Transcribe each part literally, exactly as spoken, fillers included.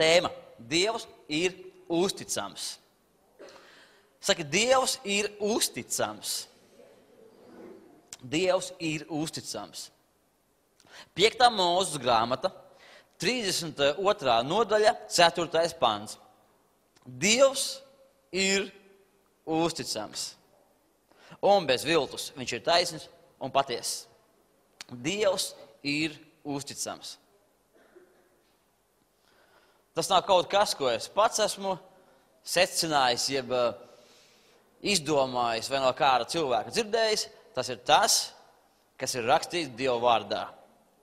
Tēma. Dievs ir uzticams. Saka, Dievs ir uzticams. Dievs ir uzticams. Piektā Mūzes grāmata, trīsdesmit otrā nodaļa, ceturtais pants. Dievs ir uzticams. Un bez viltus viņš ir taisns un patiess. Dievs ir uzticams. Tas nav kaut kas, ko es pats esmu secinājis, jeb izdomājis vai no kāda cilvēka dzirdējis. Tas ir tas, kas ir rakstīts Dieva vārdā.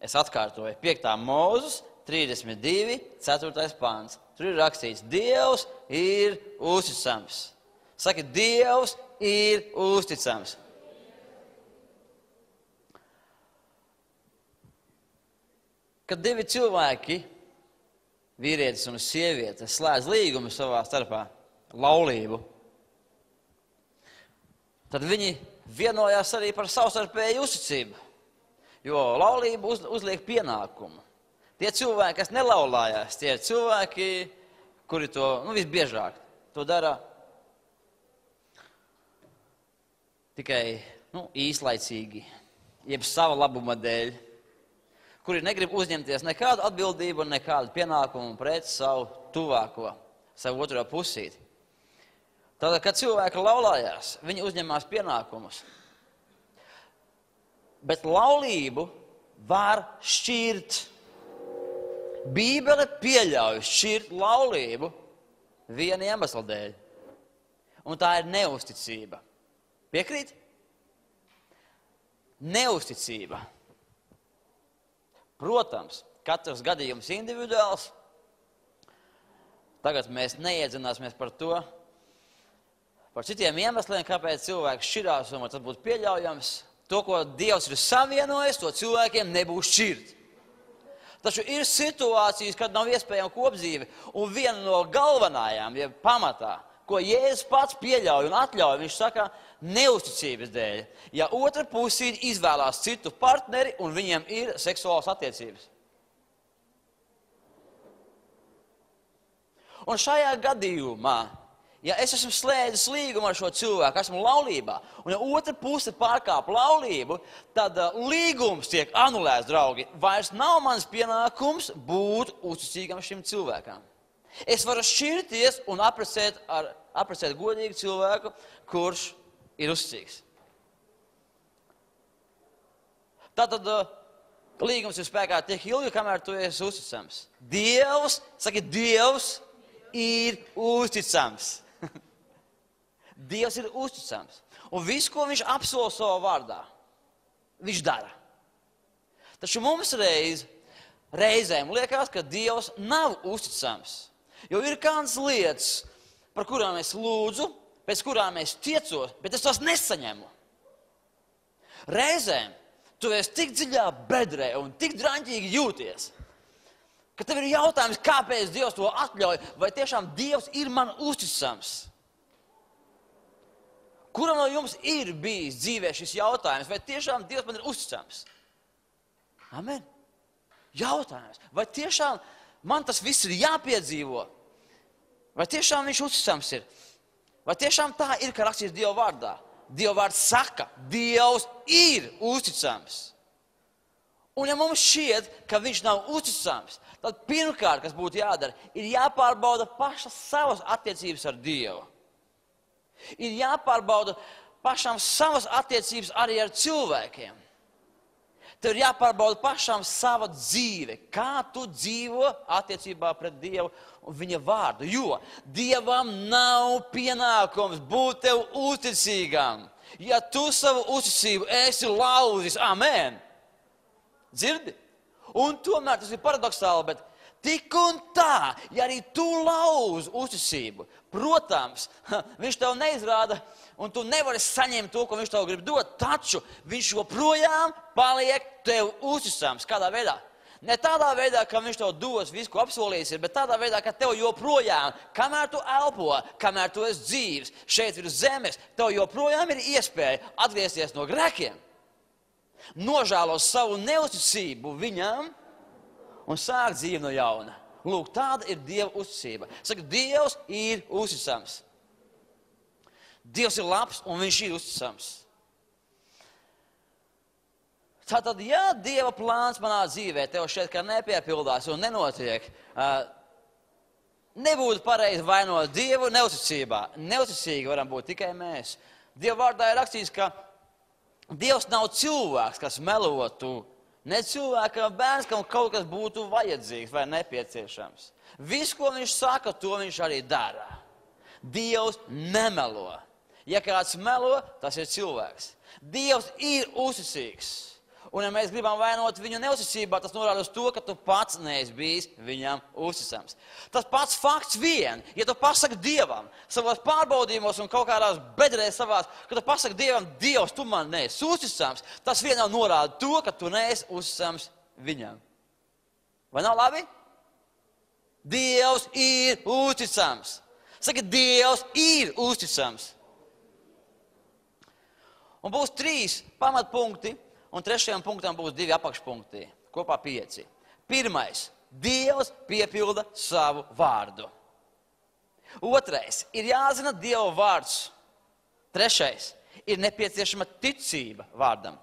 Es atkārtoju, piektā Mūzes, trīsdesmit divi, ceturtais pants. Tur ir rakstīts, Dievs ir uzticams. Saka, Dievs ir uzticams. Kad divi cilvēki, vīrietis un sieviete, slēdz līgumu savā starpā, laulību, tad viņi vienojās arī par savstarpēju uzticību, jo laulība uz, uzliek pienākumu. Tie cilvēki, kas nelaulājās, tie ir cilvēki, kuri to, nu, visbiežāk to dara tikai, nu, īslaicīgi, jeb sava labuma dēļ, kuri negrib uzņemties nekādu atbildību un nekādu pienākumu pret savu tuvāko, savu otro pusīti. Tātad, kad cilvēki laulājās, viņi uzņemās pienākumus. Bet laulību var šķirt. Bībele pieļauj šķirt laulību viena iemesla dēļ. Un tā ir neusticība. Piekrīt? Neusticība. Protams, katrs gadījums individuāls. Tagad mēs neiedzināsimies par to, par citiem iemesliem, kāpēc cilvēks šķirās un tas būtu pieļaujams. To, ko Dievs ir savienojis, to cilvēkiem nebūs šķirt. Taču ir situācijas, kad nav iespējama kopdzīve, un viena no galvenajām, ja pamatā, ko Jēzus pats pieļauj un atļauj, viņš saka, neusticības dēļ. Ja otra pusīte izvēlās citu partneri un viņiem ir seksuālas attiecības. Un šajā gadījumā, ja es esmu slēdzis līgumu ar šo cilvēku, esmu laulībā, un ja otra puse pārkāp laulību, tad uh, līgums tiek anulēts, draugi. Vairs nav mans pienākums būt uzticīgam šim cilvēkam. Es varu šķirties un apprecēt, ar, apprecēt godīgu cilvēku, kurš ir uzticīgs. Tātad uh, līgums ir spēkā tiek ilgi, kamēr tu esi uzticams. Dievs, saki, Dievs ir uzticams. Dievs ir uzticams. Un visu, ko viņš apsola savā vārdā, viņš dara. Taču mums reiz, reizēm liekas, ka Dievs nav uzticams. Jo ir kādas lietas, par kurām es lūdzu, pēc kurām es tiecos, bet es tās nesaņemu. Reizēm tu esi tik dziļā bedrē un tik draņķīgi jūties, ka tev ir jautājums, kāpēc Dievs to atļauj, vai tiešām Dievs ir man uzticams. Kuram no jums ir bijis dzīvē šis jautājums, vai tiešām Dievs man ir uzticams? Amen. Jautājums, vai tiešām man tas viss ir jāpiedzīvo? Vai tiešām viņš uzticams ir? Vai tiešām tā ir, ka rakstīts Dieva vārdā? Dieva vārds saka, Dievs ir uzticams. Un ja mums šķiet, ka viņš nav uzticams, tad pirmkārt, kas būtu jādara, ir jāpārbauda pašas savas attiecības ar Dievu. Ir jāpārbauda pašām savas attiecības arī ar cilvēkiem. Tev ir jāpārbauda pašām sava dzīve, kā tu dzīvo attiecībā pret Dievu un viņa vārdu. Jo Dievam nav pienākums būt tev uzticīgam. Ja tu savu uzticību esi lauzis, amen. Dzirdi? Un tomēr tas ir paradoxāli, bet tik un tā, ja arī tu lauz uzticību, protams, viņš tev neizrāda un tu nevari saņemt to, ko viņš tev grib dot, taču viņš joprojām paliek tev uzticams. Kādā veidā? Ne tādā veidā, ka viņš tev dos visu, ko apsolījis ir, bet tādā veidā, ka tev joprojām, kamēr tu elpo, kamēr tu esi dzīves, šeit ir zemes, tev joprojām ir iespēja atgriezties no grēkiem, nožēlos savu neusticību viņam un sākt dzīvi no jauna. Lūk, tāda ir Dieva uzticība. Saka, Dievs ir uzticams. Dievs ir labs un viņš ir uzticams. Tātad, ja Dieva plāns manā dzīvē tev šeit kā nepiepildās un nenotiek, nebūtu pareizi vainot Dievu neuzticībā. Neuzticīgi varam būt tikai mēs. Dieva vārdā ir rakstīts, ka Dievs nav cilvēks, kas melotu. Ne cilvēkam bērns, kam kaut kas būtu vajadzīgs vai nepieciešams. Viss, ko viņš saka, to viņš arī dara. Dievs nemelo. Ja kāds melo, tas ir cilvēks. Dievs ir uzticīgs. Un ja mēs gribam vainot viņu neuzticībā, tas norāda uz to, ka tu pats neesi bijis viņam uzticams. Tas pats fakts vien, ja tu pasaki Dievam savos pārbaudījumos un kaut kādās bedrēs savās, ka tu pasaki Dievam, Dievs, tu man neesi uzticams, tas vien jau norāda to, ka tu neesi uzticams viņam. Vai nav labi? Dievs ir uzticams. Saka, Dievs ir uzticams. Un būs trīs pamatpunkti. Un trešajam punktam būs divi apakšpunkti, kopā pieci. Pirmais, Dievs piepilda savu vārdu. Otrais, ir jāzina Dieva vārds. Trešais, ir nepieciešama ticība vārdam.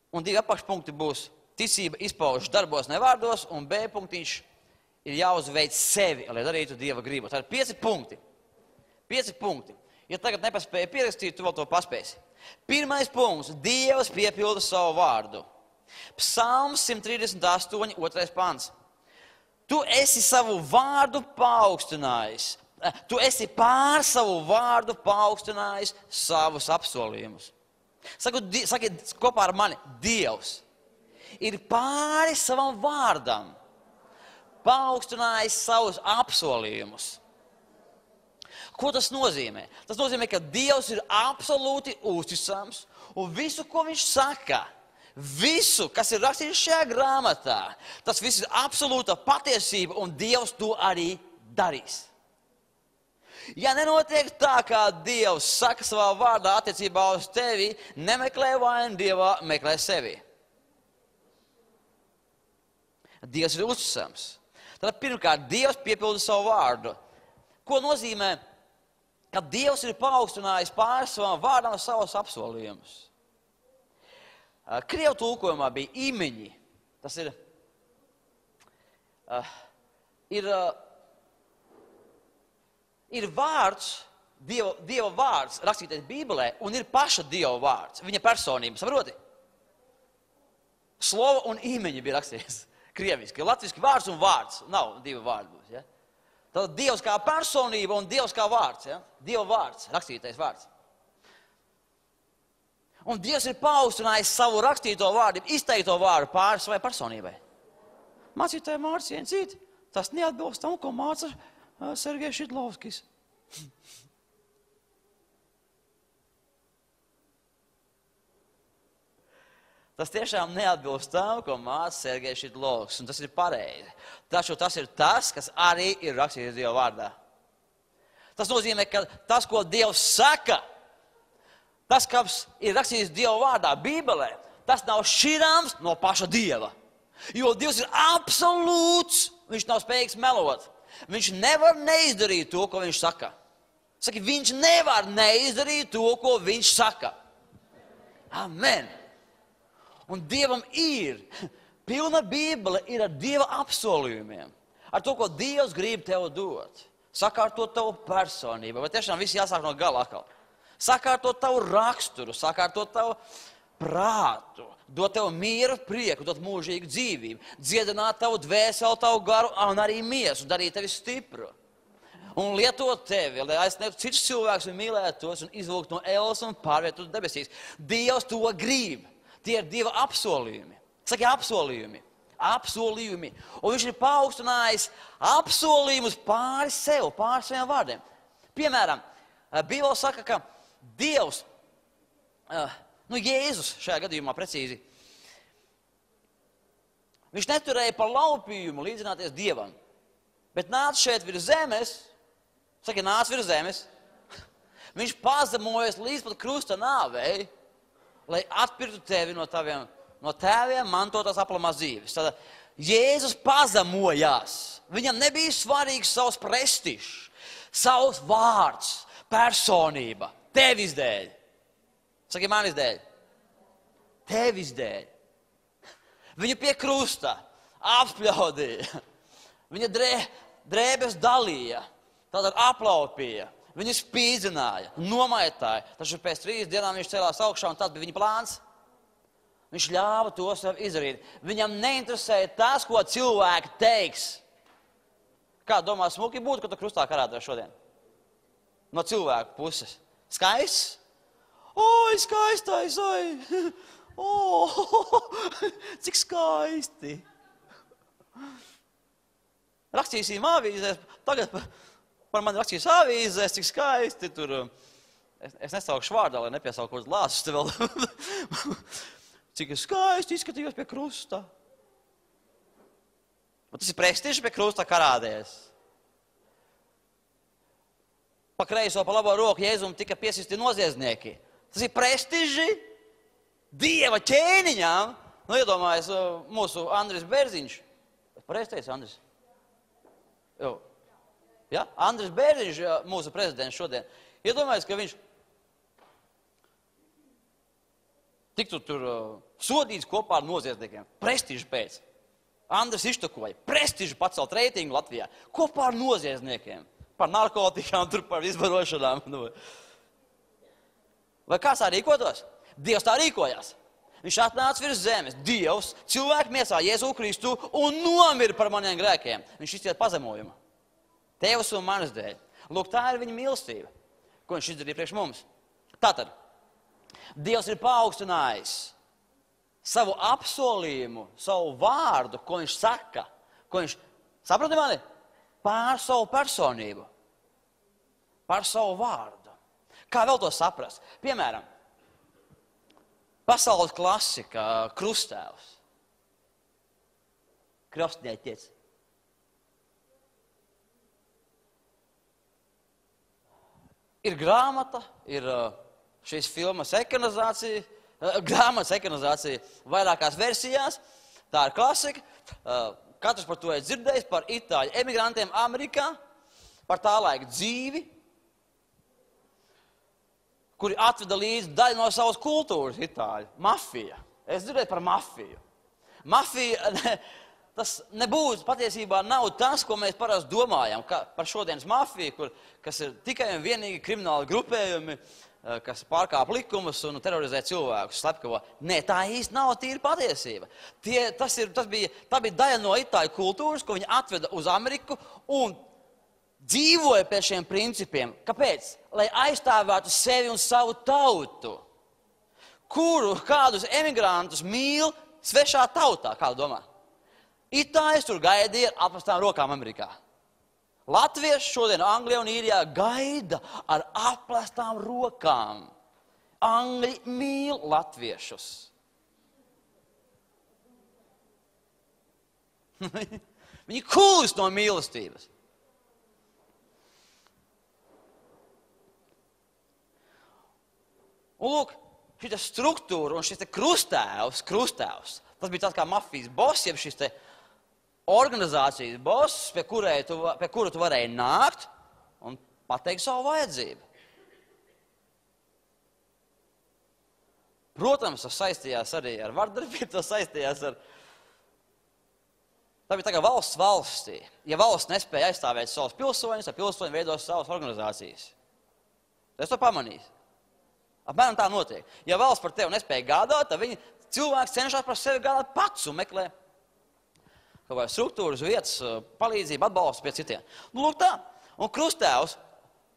Un divi apakšpunkti būs ticība izpaužas darbos, ne vārdos, un B punktiņš ir jāuzveic sevi, lai darītu Dieva gribu. Tā ir pieci punkti. Pieci punkti. Ja tagad nepaspēja pierakstīt, tu vēl to paspēsi. Pirmais punkts. Dievs piepilda savu vārdu. Psalms simt trīsdesmit astoņi, otrais pants. Tu esi savu vārdu paaugstinājis. Tu esi pār savu vārdu paaugstinājis savus apsolījumus. Saku, saki kopā ar mani, Dievs ir pāri savam vārdam paaugstinājis savus apsolījumus. Ko tas nozīmē? Tas nozīmē, ka Dievs ir absolūti uzticams un visu, ko viņš saka, visu, kas ir rakstīts šajā grāmatā, tas viss ir absolūta patiesība un Dievs to arī darīs. Ja nenotiek tā, kā Dievs saka savā vārdā attiecībā uz tevi, nemeklē vainu Dievā, meklē sevi. Dievs ir uzticams. Tad pirmkārt, Dievs piepilda savu vārdu. Ko nozīmē? Ka Dievs ir paaugstinājis pāri savam vārdam savus apsolījumus. Krievu tulkojumā bija imeņi. Tas ir, uh, ir, uh, ir vārds, Dieva, Dieva vārds rakstītais Bībelē, un ir paša Dieva vārds, viņa personība, saproti? Slova un imeņi bija rakstīts krieviski. Latviski vārds un vārds, nav divi vārdi būs, ja? Tad Dievs kā personība un Dievs kā vārds. Ja? Dieva vārds, rakstītais vārds. Un Dievs ir paaugstinājis savu rakstīto vārdu, izteikto vārdu pāri savai personībai. Mācītāji Mārciņa cīt, tas neatbilst tam, ko māca uh, Sergejs Šidlovskis. Tas tiešām neatbilst tam, ko māca Sergejs Šidlovskis, un tas ir pareizi. Taču tas ir tas, kas arī ir rakstīts Dieva vārdā. Tas nozīmē, ka tas, ko Dievs saka, tas, kas ir rakstīts Dieva vārdā, Bībelē, tas nav šķirāms no paša Dieva. Jo Dievs ir absolūts, viņš nav spējīgs melot. Viņš nevar neizdarīt to, ko viņš saka. Saki, viņš nevar neizdarīt to, ko viņš saka. Amen. Un Dievam ir, pilna Bībele ir ar Dieva apsolījumiem. Ar to, ko Dievs grib tev dot. Sakārtot tavu personību. Vai tiešām viss jāsāk no gala atkal? Sakārtot tavu raksturu, sakārtot tavu prātu. Dot tev mieru, prieku, dot mūžīgu dzīvību. Dziedināt tavu dvēseli, tavu garu un arī miesu. Darīt tevi stipru. Un lietot tevi, lai aizsniegtu citus cilvēkus un mīlētu tos un izvilkt no ēlas un pārvietot debesīs. Dievs to grib. Tie ir Dieva apsolījumi. Saki apsolījumi. Apsolījumi. Un viņš ir paaugstinājis apsolījumus pāri sev, pāri saviem vārdiem. Piemēram, Bībele saka, ka Dievs, nu Jēzus šajā gadījumā precīzi, viņš neturēja par laupījumu līdzināties Dievam, bet nāca šeit virs zemes, saka, nāca virs zemes, viņš pazemojas līdz pat krusta nāvei, lai atpirktu tevi no taviem, no tēviem mantotās aplamās dzīves. Tad Jēzus pazemojās. Viņam nebija svarīgs savs prestižs, savs vārds, personība, tevis dēļ. Saki, manis dēļ. Tevis dēļ. Viņu pie krusta apspļaudīja. Viņa drē, drēbes dalīja, tātad aplaupīja. Viņu spīdzināja, nomaitāja. Taču pēc trīs dienām viņš celās augšā un tāds bija viņa plāns. Viņš ļāva to sev izdarīt. Viņam neinteresēja tas, ko cilvēki teiks. Kā domā, smuki būtu, ka tu krustā karātos šodien? No cilvēku puses. Skaists? Oi, skaistais, oi! O, cik skaisti! Rakstīsim avīzēs, tagad par mani rakstīs avīzēs, cik skaisti tur. Es, es nesaukšu vārdā, lai nepiesauku kaut lāsus te vēl. Cik skaisti izskatījos pie krusta. Un tas ir prestižs pie krusta karādēs. Pa kreiso, pa labo roku Jēzum tika piesisti noziedznieki. Tas ir prestiži Dieva ķēniņām. Nu, iedomājies mūsu Andris Bērziņš. Pareizi teicu, Andris? Jo. Ja? Andris Bērziņš, mūsu prezidents šodien. Iedomājies, ka viņš tiktu tur uh, sodīts kopā ar noziedzniekiem. Prestižu pēc. Andris iztukoja. Prestižu pacelt reitingu Latvijā. Kopā ar noziedzniekiem. Par narkotikām, tur par izbarošanām. Vai kāds tā rīkotos? Dievs tā rīkojās. Viņš atnāca virs zemes. Dievs, cilvēku miesā Jēzu Kristu un nomira par maniem grēkiem. Viņš izciet pazemojumu. Tevas un manas dēļ. Lūk, tā ir viņa mīlestība, ko viņš izdarīja priekš mums. Tātad, Dievs ir paaugstinājis savu apsolījumu, savu vārdu, ko viņš saka, ko viņš, saprati mani, pār savu personību, pār savu vārdu. Kā vēl to saprast? Piemēram, pasaules klasika, Krustēvs, krastnieķis. Ir grāmata, ir šīs filmas ekranizācija, grāmatas ekranizācija vairākās versijās. Tā ir klasika. Katrs par to ir dzirdējis, par itāļu emigrantiem Amerikā, par tā laika dzīvi, kuri atveda līdzi daļu no savas kultūras itāļu. Mafija. Es dzirdēju par mafiju. Mafija... Tas nebūs, patiesībā nav tas, ko mēs parasti domājam par šodienas mafiju, kur, kas ir tikai un vienīgi krimināli grupējumi, kas pārkāp likumus un terorizē cilvēkus, slepkavo. Nē, tā īsti nav tīra patiesība. Tie, tas ir, tas bija, tā bija daļa no itāļu kultūras, ko viņi atveda uz Ameriku un dzīvoja pēc šiem principiem. Kāpēc? Lai aizstāvētu sevi un savu tautu, kuru kādus emigrantus mīl svešā tautā, kādu domā? Itāļus tur gaidīja ar apvestām rokām Amerikā. Latvieši šodien Anglijā un Īrijā gaida ar apvestām rokām. Angļi mīl latviešus. Viņi kūst no mīlestības. Un lūk, šī struktūra un šis te krustēvs, krustēvs, tas bija tāds kā mafijas boss, jeb šis te organizācijas boss, pie, tu, pie kura tu varēji nākt un pateikt savu vajadzību. Protams, tas saistījās arī ar vardarbību, tas saistījās ar... Tā bija tā kā valsts valstī. Ja valsts nespēja aizstāvēt savus pilsoņus, tad pilsoņi veidos savas organizācijas. Es to pamanīju. Apmēram tā notiek. Ja valsts par tevi nespēja gādāt, tad viņi cilvēks cenšas par sevi gādāt pats un meklē kaut vai struktūras, vietas, palīdzību, atbalstu pie citiem. Nu, lūk tā. Un krustēvs,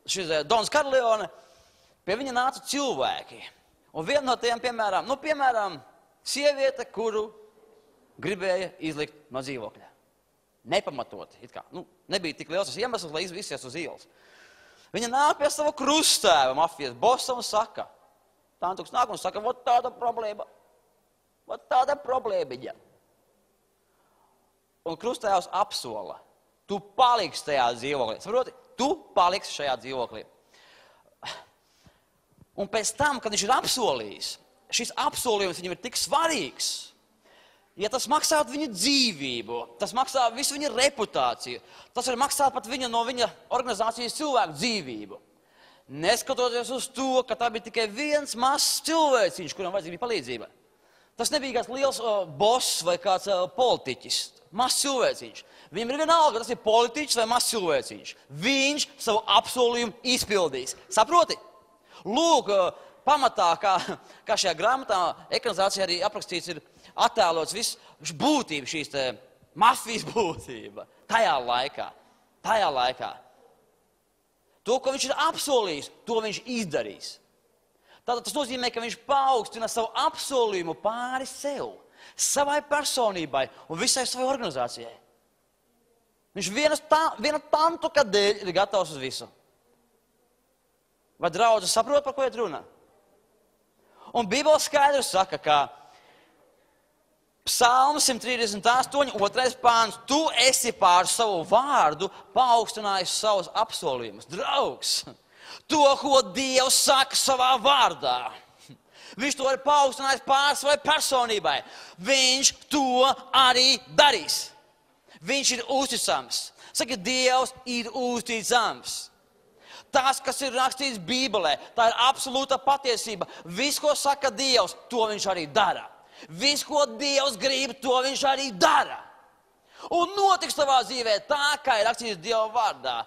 šis Dons Karleone, pie viņa nāca cilvēki. Un viena no tiem, piemēram, nu, piemēram, sieviete, kuru gribēja izlikt no dzīvokļa. Nepamatoti, it kā. Nu, nebija tik liels tas iemesls, lai izvisies uz ielas. Viņa nāk pie sava krustēva, mafijas bossa, un saka, Tantuks nāk un saka, vot tāda problēma, vot tāda problēmiņa. Un krustēvs apsola, tu paliksi tajā dzīvoklī. Saproti, tu paliksi šajā dzīvoklī. Un pēc tam, kad viņš ir apsolījis, šis apsolījums viņam ir tik svarīgs. ja tas maksātu viņa dzīvību, tas maksā visu viņa reputāciju, tas var maksāt pat viņa no viņa organizācijas cilvēku dzīvību. Neskatoties uz to, ka tā bija tikai viens mazs cilvēciņš, kuram vajadzīga bija palīdzība. Tas nebija kāds liels uh, boss vai kāds uh, politiķis, mazs cilvēciņš. Viņam ir vienalga, tas ir politiķis vai mazs cilvēciņš. Viņš savu apsolījumu izpildīs. Saproti? Lūk, uh, pamatā, kā, kā šajā grāmatā, ekranizācijā arī aprakstīts ir attēlots viss būtība, šīs te mafijas būtība. Tajā laikā, tajā laikā. To, ko viņš ir apsolījis, to viņš izdarīs. Tātad tas nozīmē, ka viņš paaugstina savu apsolījumu pāri sev, savai personībai un visai savai organizācijai. Viņš vienas tā, viena tantuka dēļ ir gatavs uz visu. Vai draudze saprot, par ko iet runa? Un Bībele skaidri saka, ka Psalms simt trīsdesmit astoņi, otrais pāns, tu esi pār savu vārdu paaugstinājis savus apsolījumus. Draugs, to, ko Dievs saka savā vārdā, viņš to ir paaugstinājis pār savai personībai. Viņš to arī darīs. Viņš ir uzticams. Saka, Dievs ir uzticams. Tas, kas ir rakstīts Bībelē, tā ir absolūta patiesība. Viss, ko saka Dievs, to viņš arī dara. Viss, ko Dievs grib, to viņš arī dara. Un notiks tavā dzīvē tā, kā ir rakstīts Dieva vārdā.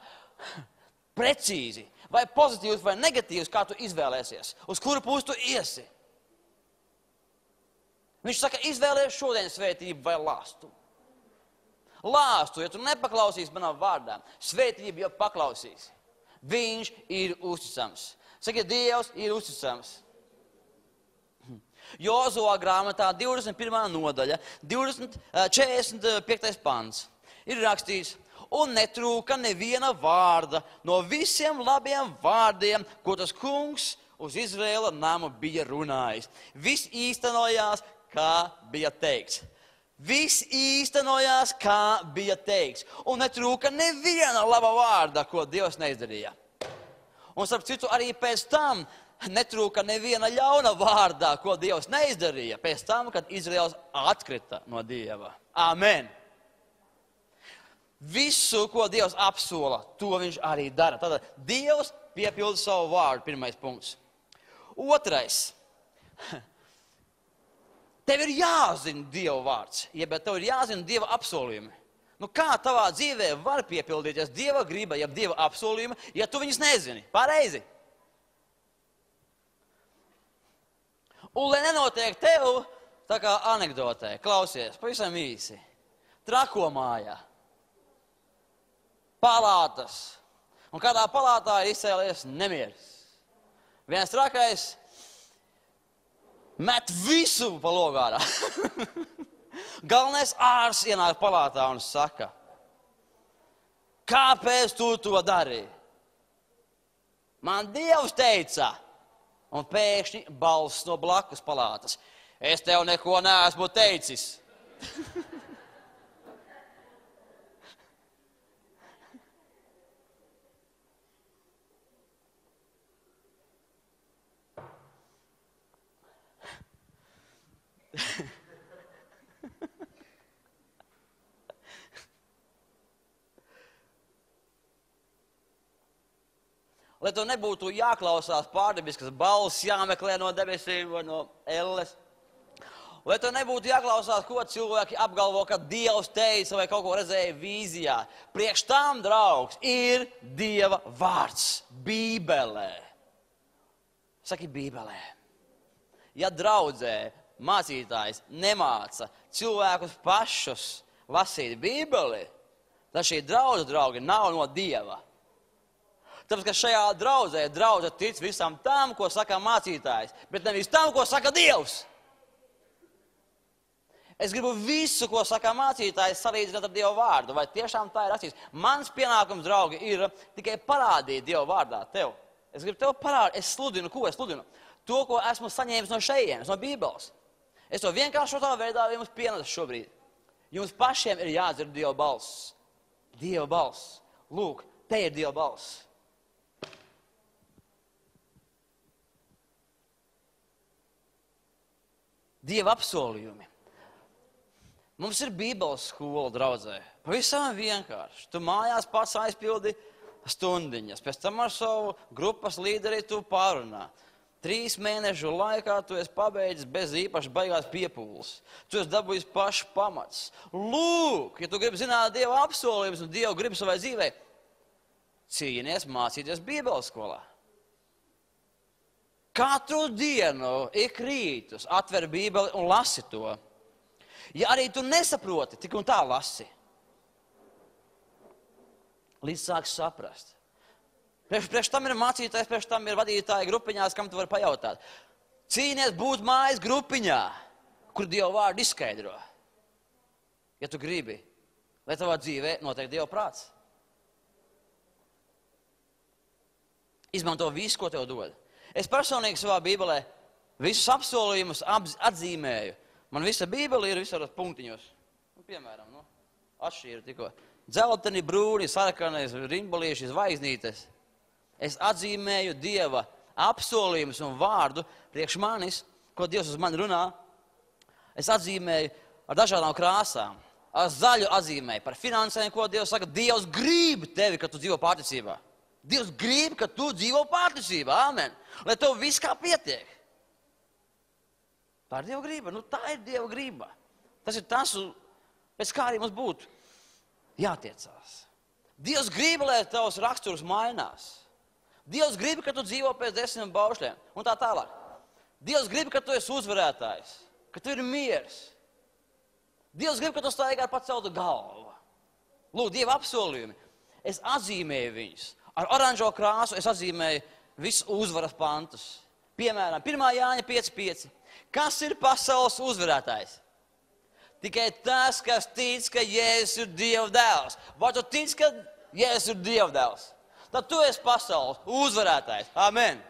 Precīzi, vai pozitīvs, vai negatīvs, kā tu izvēlēsies. Uz kuru pusi tu iesi. Viņš saka, izvēlēs šodien svētību vai lāstu. Lāstu, ja tu nepaklausīsi manām vārdām, svētību jau paklausīsi. Viņš ir uzticams. Saka, Dievs ir uzticams. Jozuā grāmatā divdesmit pirmā nodaļa, divdesmit, četrdesmit piektais pants ir rakstīts, un netrūka neviena vārda no visiem labiem vārdiem, ko tas kungs uz Izraēla namu bija runājis. Viss īstenojās, kā bija teikts. Viss īstenojās, kā bija teikts. Un netrūka neviena laba vārda, ko Dievs neizdarīja. Un starp citu arī pēc tam netrūka neviena ļauna vārdā, ko Dievs neizdarīja, pēc tam, kad Izraels atkrita no Dieva. Amen. Visu, ko Dievs apsola, to viņš arī dara. Tātad Dievs piepilda savu vārdu, pirmais punkts. Otrais. Tev ir jāzina Dieva vārds, jeb tev ir jāzina Dieva apsolījumi. Nu kā tavā dzīvē var piepildīties Dieva griba, jeb Dieva apsolījumi, ja tu viņus nezini? Pareizi. Un, lai nenotiek tev, tā kā anekdotē, klausies, pavisam īsi. Trako mājā. Palātas. Un kādā palātā ir izcēlies nemieris. Viens trakais met visu pa logārā. Galvenais ārsts ienāk palātā un saka, kāpēc tu to darīji? Man Dievs teica. Un pēkšņi balss no blakus palātas. Es tev neko neesmu teicis. Lai to nebūtu jāklausās pārdabiskas balss, jāmeklē no debesīm vai no elles. Lai to nebūtu jāklausās, ko cilvēki apgalvo, ka Dievs teica vai kaut ko redzēja vīzijā. Priekš tam, draugs, ir Dieva vārds Bībelē. Saki Bībelē. Ja draudzē mācītājs nemāca cilvēkus pašus lasīt Bībeli, tad šī draudze, draugi, nav no Dieva. Tāpēc, ka šajā draudzē draudze tic visam tam, ko saka mācītājs, bet nevis tam, ko saka Dievs. Es gribu visu, ko saka mācītājs, salīdzināt ar Dieva vārdu. Vai tiešām tā ir rakstīts? Mans pienākums, draugi, ir tikai parādīt Dieva vārdā tev. Es gribu tev parādīt, es sludinu, ko es sludinu? To, ko esmu saņēmis no šejienes, no Bībeles. Es to vienkāršotā veidā jums pienesu šobrīd. Jums pašiem ir jādzird Dieva balss. Dieva balss. Lūk, te ir Dieva balss. Dieva apsolījumi. Mums ir Bībeles skola draudzē. Pavisam vienkārši. Tu mājās pats aizpildi stundiņas. Pēc tam ar savu grupas līderi tu pārunā. Trīs mēnešu laikā tu esi pabeidzis bez īpaši baigās piepūles. Tu esi dabūjis pašu pamats. Lūk, ja tu gribi zināt Dieva apsolījumus un Dievu gribi savai dzīvei, cīnies mācīties Bībeles skolā. Katru dienu, ik rītus, atver Bībeli un lasi to. Ja arī tu nesaproti, tik un tā lasi. Līdz sāks saprast. Priekš, priekš tam ir mācītājs, priekš tam ir vadītāji grupiņās, kam tu vari pajautāt. Cīnies būt mājas grupiņā, kur Dieva vārdu izskaidro. Ja tu gribi, lai tavā dzīvē notiek Dieva prāts. Izmanto visu, ko tev dod. Es personīgi savā Bībelē visus apsolījumus atzīmēju. Man visa Bībele ir visos punktiņos. Nu, piemēram, nu, atšķīra tikko. Dzelteni, brūni, sarkanais, rimbalieši, zvaigznītes. Es atzīmēju Dieva apsolījumus un vārdu priekš manis, ko Dievs uz mani runā. Es atzīmēju ar dažādām krāsām. Ar zaļu atzīmēju par finansēm, ko Dievs saka. Dievs grib tevi, ka tu dzīvo pārticībā. Dievs grib, ka tu dzīvo pārticībā. Amen. Lai tev viss kā pietiek. Tā ir Dieva griba. Nu, tā ir Dieva griba. Tas ir tas, pēc kā arī mums būtu jātiecās. Dievs grib, lai tavs raksturs mainās. Dievs grib, ka tu dzīvo pēc desmit baušļiem un tā tālāk. Dievs grib, ka tu esi uzvarētājs, ka tu ir miers. Dievs grib, ka tu staigā ar paceltu galvu. Lūk, Dieva apsolījumi. Es atzīmēju viņus. Ar oranžo krāsu es atzīmēju visus uzvaras pantus. Piemēram, pirmā Jāņa pieci pieci. Kas ir pasaules uzvarētājs? Tikai tas, kas tic, ka Jēzus ir Dieva dēls. Vai tu tic, ka Jēzus ir Dieva dēls? Tad tu esi pasaules uzvarētājs. Amen.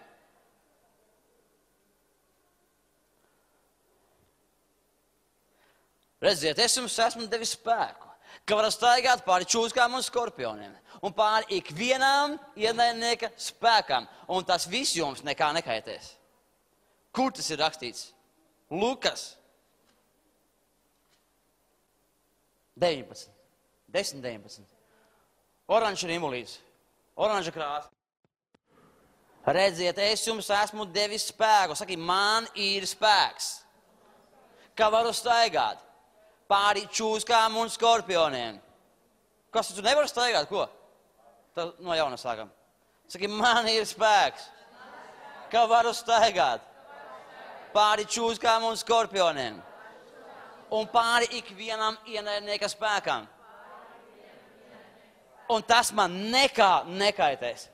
Redziet, es jums esmu devis spēku, ka varat staigāt pāri čūskām un skorpioniem un pāri ikvienām ienaidnieka spēkām. Un tas viss jums nekā nekaitēs. Kur tas ir rakstīts? Lukas deviņpadsmit, desmit deviņpadsmit. Oranža rimulīts, oranža krāsa. Redziet, es jums esmu devis spēku. Saki, man ir spēks, ka varu staigāt pāri čūskām un skorpioniem. Kas tu nevar staigāt? Ko? Tad no jauna sākam. Saki, man ir spēks, ka varu staigāt pāri čūskām un skorpioniem un pāri ikvienam ienaidnieka spēkam. Un tas man nekā nekaitēs.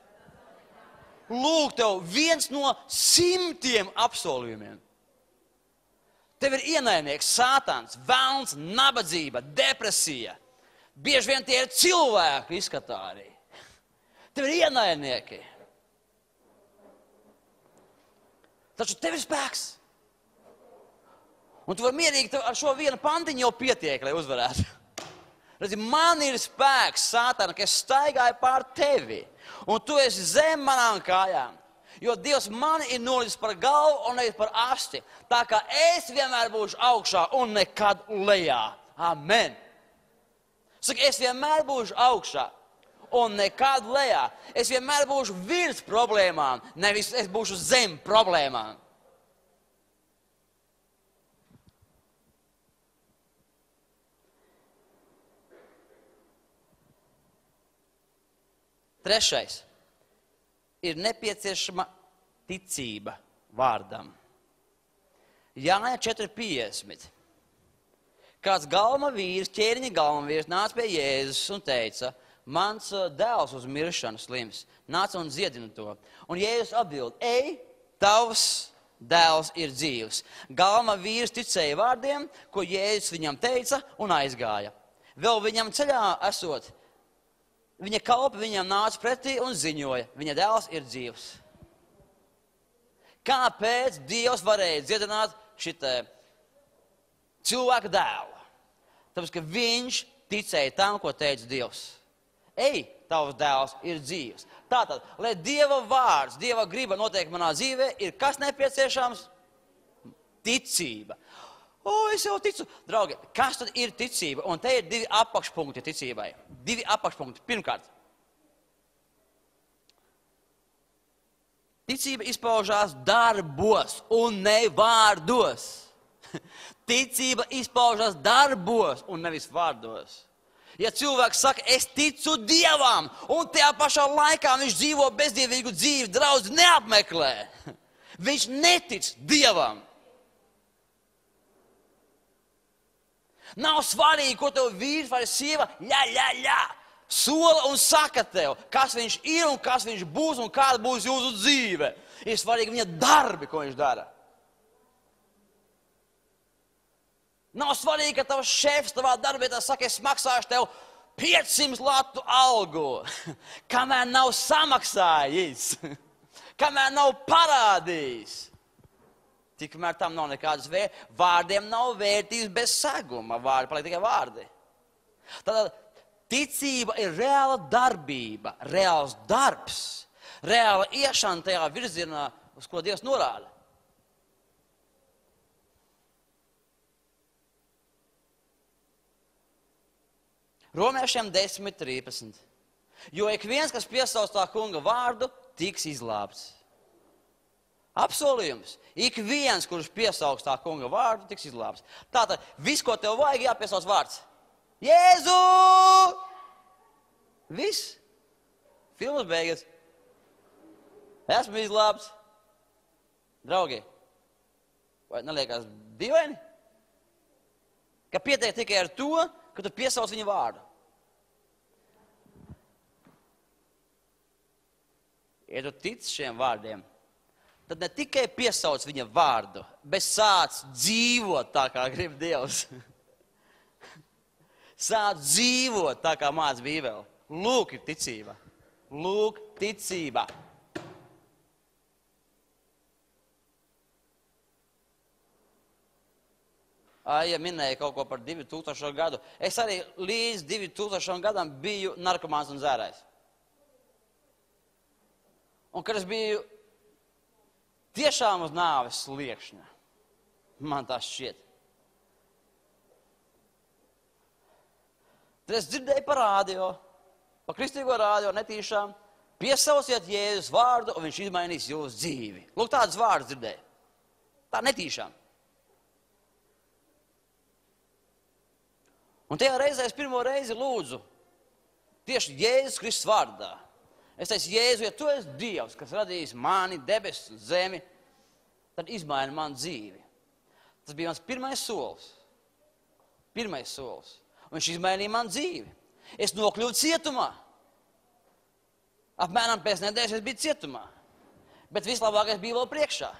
Lūk, tev viens no simtiem apsolījumiem. Tev ir ienaidnieks, sātans, velns, nabadzība, depresija. Bieži vien tie ir cilvēki izskatā arī. Tev ir ienaidnieki. Taču tev ir spēks. Un tu vari mierīgi, ar šo vienu pantiņu jau pietiek, lai uzvarētu. Redzi, man ir spēks, sātana, ka es staigāju pār tevi. Un tu esi zem manām kājām. Jo Dievs mani ir nolicis par galvu un nevis par asti. Tā kā es vienmēr būšu augšā un nekad lejā. Amen. Saka, es vienmēr būšu augšā un nekad lejā. Es vienmēr būšu virs problēmām, nevis es būšu zem problēmām. Trešais ir nepieciešama ticība vārdam. Jāņa četri piecdesmit. Kāds galma vīrs, ķēriņa galma vīrs, nāca pie Jēzus un teica, mans dēls uz miršanu slims, nāca un dziedina to. Un Jēzus atbild, ej, tavs dēls ir dzīvs. Galma vīrs ticēja vārdiem, ko Jēzus viņam teica un aizgāja. Vēl viņam ceļā esot, viņa kalpi viņam nāca pretī un ziņoja, viņa dēls ir dzīvs. Kāpēc Dievs varēja dziedināt šitā cilvēka dēlu? Tāpēc, ka viņš ticēja tam, ko teica Dievs. Ej, tavs dēls ir dzīvs. Tātad, lai Dieva vārds, Dieva griba notiek manā dzīvē, ir kas nepieciešams? Ticība. O, es jau ticu. Draugi, kas tad ir ticība? Un te ir divi apakšpunkti ticībai. Divi apakšpunkti. Pirmkārt, ticība izpaužās darbos un ne vārdos. Ticība izpaužās darbos un nevis vārdos. Ja cilvēks saka, es ticu Dievam, un tajā pašā laikā viņš dzīvo bezdievīgu dzīvi, draudzi neapmeklē. Viņš netic Dievam. Nav svarīgi, ko tev vīrs vai sieva, jā, jā, jā, sola un saka tev, kas viņš ir un kas viņš būs un kāda būs jūsu dzīve. Ir svarīgi viņa darbi, ko viņš dara. Nav svarīgi, ka tavs šefs tavā darbietā saka, es maksāšu tev piecsimt latu algu, kamēr nav samaksājis, kamēr nav parādījis. Tikmēr tam nav nekādas vērtības. Vārdiem nav vērtības bez seguma. Vārdi paliek tikai vārdi. Tātad ticība ir reāla darbība, reāls darbs, reāla iešana tajā virzienā, uz ko Dievs norāda. Romiešiem desmit trīsdesmit. Jo ik viens, kas piesauc tā kunga vārdu, tiks izglābts. Apsolījums. Ik viens, kurš piesauks tā kunga vārdu, tiks izglābts. Tātad, viss, ko tev vajag, jāpiesauc vārds. Jēzu! Viss. Filmas beigas. Esmu izglābts. Draugi, vai neliekas dīvaini? Ka pietiek tikai ar to, ka tu piesauc viņa vārdu. Ja tu tic šiem vārdiem, tad ne tikai piesauc viņa vārdu, bet sāc dzīvot tā, kā grib Dievs. Sāc dzīvot tā, kā māc Bībele. Lūk ir ticība. Lūk ticība. Aija minēja kaut ko par divi tūkstošo gadu. Es arī līdz divi tūkstošajam gadam biju narkomāns un zērājs. Un kad es biju tiešām uz nāves sliekšņa, man tā šķiet. Tad es dzirdēju pa rādio, pa kristīgo rādio netīšām, piesauciet Jēzus vārdu, un viņš izmainīs jūsu dzīvi. Lūk, tādas vārdas dzirdēju. Tā netīšām. Un tajā reizē es pirmo reizi lūdzu tieši Jēzus Kristus vārdā. Es teicu, Jēzu, ja tu esi Dievs, kas radījis mani, debesis un zemi, tad izmaini man dzīvi. Tas bija mans pirmais solis. Pirmais solis. Un viņš izmainīja man dzīvi. Es nokļuvu cietumā. Apmēram pēc nedēļas es biju cietumā. Bet vislabākais bija vēl priekšā.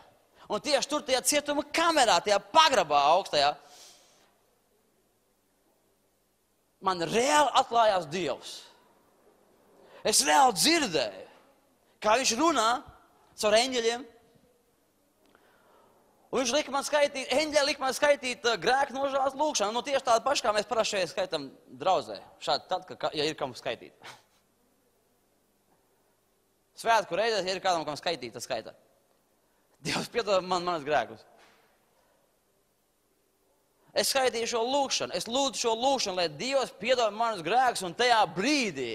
Un tieši tur tajā cietuma kamerā, tajā pagrabā augstajā, man reāli atklājās Dievs. Es reāli dzirdēju, kā viņš runā caur eņģeļiem. Un viņš lika man skaitīt, eņģeļi lika man skaitīt uh, grēku nožēlas lūkšanu. Nu, tieši tāda paša, kā mēs parasti šeit skaitam draudzē. Šādi tad, ka, ja ir kam skaitīt. Svētku reizēs, ja ir kādam kam skaitīt, tad skaita. Dievs piedod man manas grēkus. Es skaitīju šo lūkšanu, es lūdzu šo lūkšanu, lai Dievs piedod manas grēkus, un tajā brīdī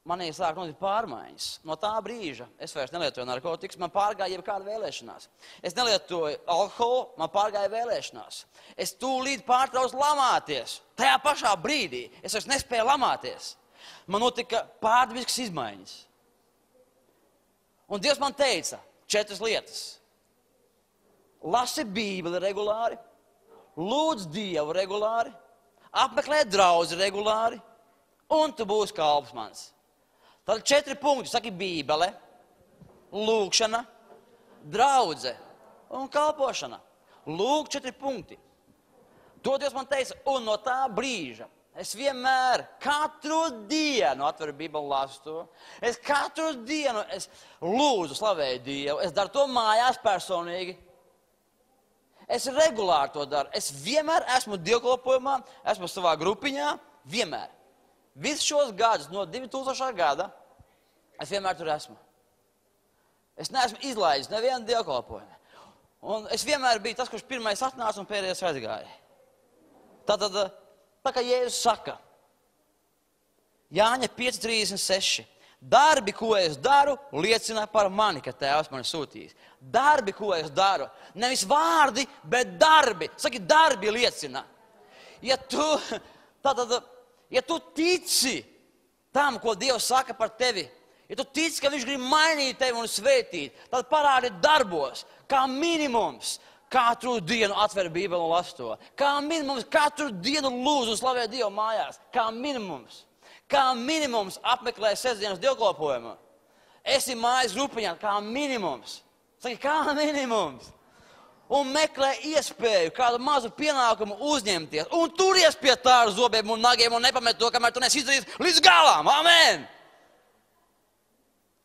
manī sāk notikt pārmaiņas. No tā brīža es vairs nelietoju narkotikas, man pārgāja jebkāda vēlēšanās. Es nelietoju alkoholu, man pārgāja vēlēšanās. Es tūlīt pārtraucu lamāties. Tajā pašā brīdī es vairs nespēju lamāties. Man notika pārdabiskas izmaiņas. Un Dievs man teica četras lietas. Lasi Bībeli regulāri, lūdz Dievu regulāri, apmeklē draudzi regulāri, un tu būsi kalps mans. Tad četri punkti, saki Bībele, lūkšana, draudze un kalpošana. Lūk, četri punkti. To Dievs man teica, un no tā brīža es vienmēr, katru dienu atveru Bībeli, lasu to. Es katru dienu es lūdzu, slavēju Dievu, es daru to mājās personīgi. Es regulāri to daru. Es vienmēr esmu dievkalpojumā, esmu savā grupiņā, vienmēr. Visus šos gadus, no divi tūkstošā gada, es vienmēr tur esmu. Es neesmu izlaidis nevienu dievkalpojumu. Un es vienmēr biju tas, kurš pirmais atnāca un pēdējais aizgāja. Tātad, tā kā Jēzus saka, Jāņa pieci trīsdesmit seši. Darbi, ko es daru, liecina par mani, ka Tēvs mani sūtījis. Darbi, ko es daru. Nevis vārdi, bet darbi. Saki, darbi liecina. Ja tu, tātad, ja tu tici tam, ko Dievs saka par tevi, ja tu tici, ka Viņš grib mainīt tevi un svētīt, tad parādi darbos, kā minimums. Katru dienu atver Bībeli un las to. Kā minimums katru dienu lūdzu un slavē Dievu mājās. Kā minimums. Kā minimums apmeklē sestdienas dievkalpojumu. Esi mājas grupiņā, kā minimums. Saki, kā minimums. Un meklē iespēju kādu mazu pienākumu uzņemties. Un turies pie tā ar zobiem un nagiem un nepamet to, kamēr tu nesi izdarījis līdz galām. Amen!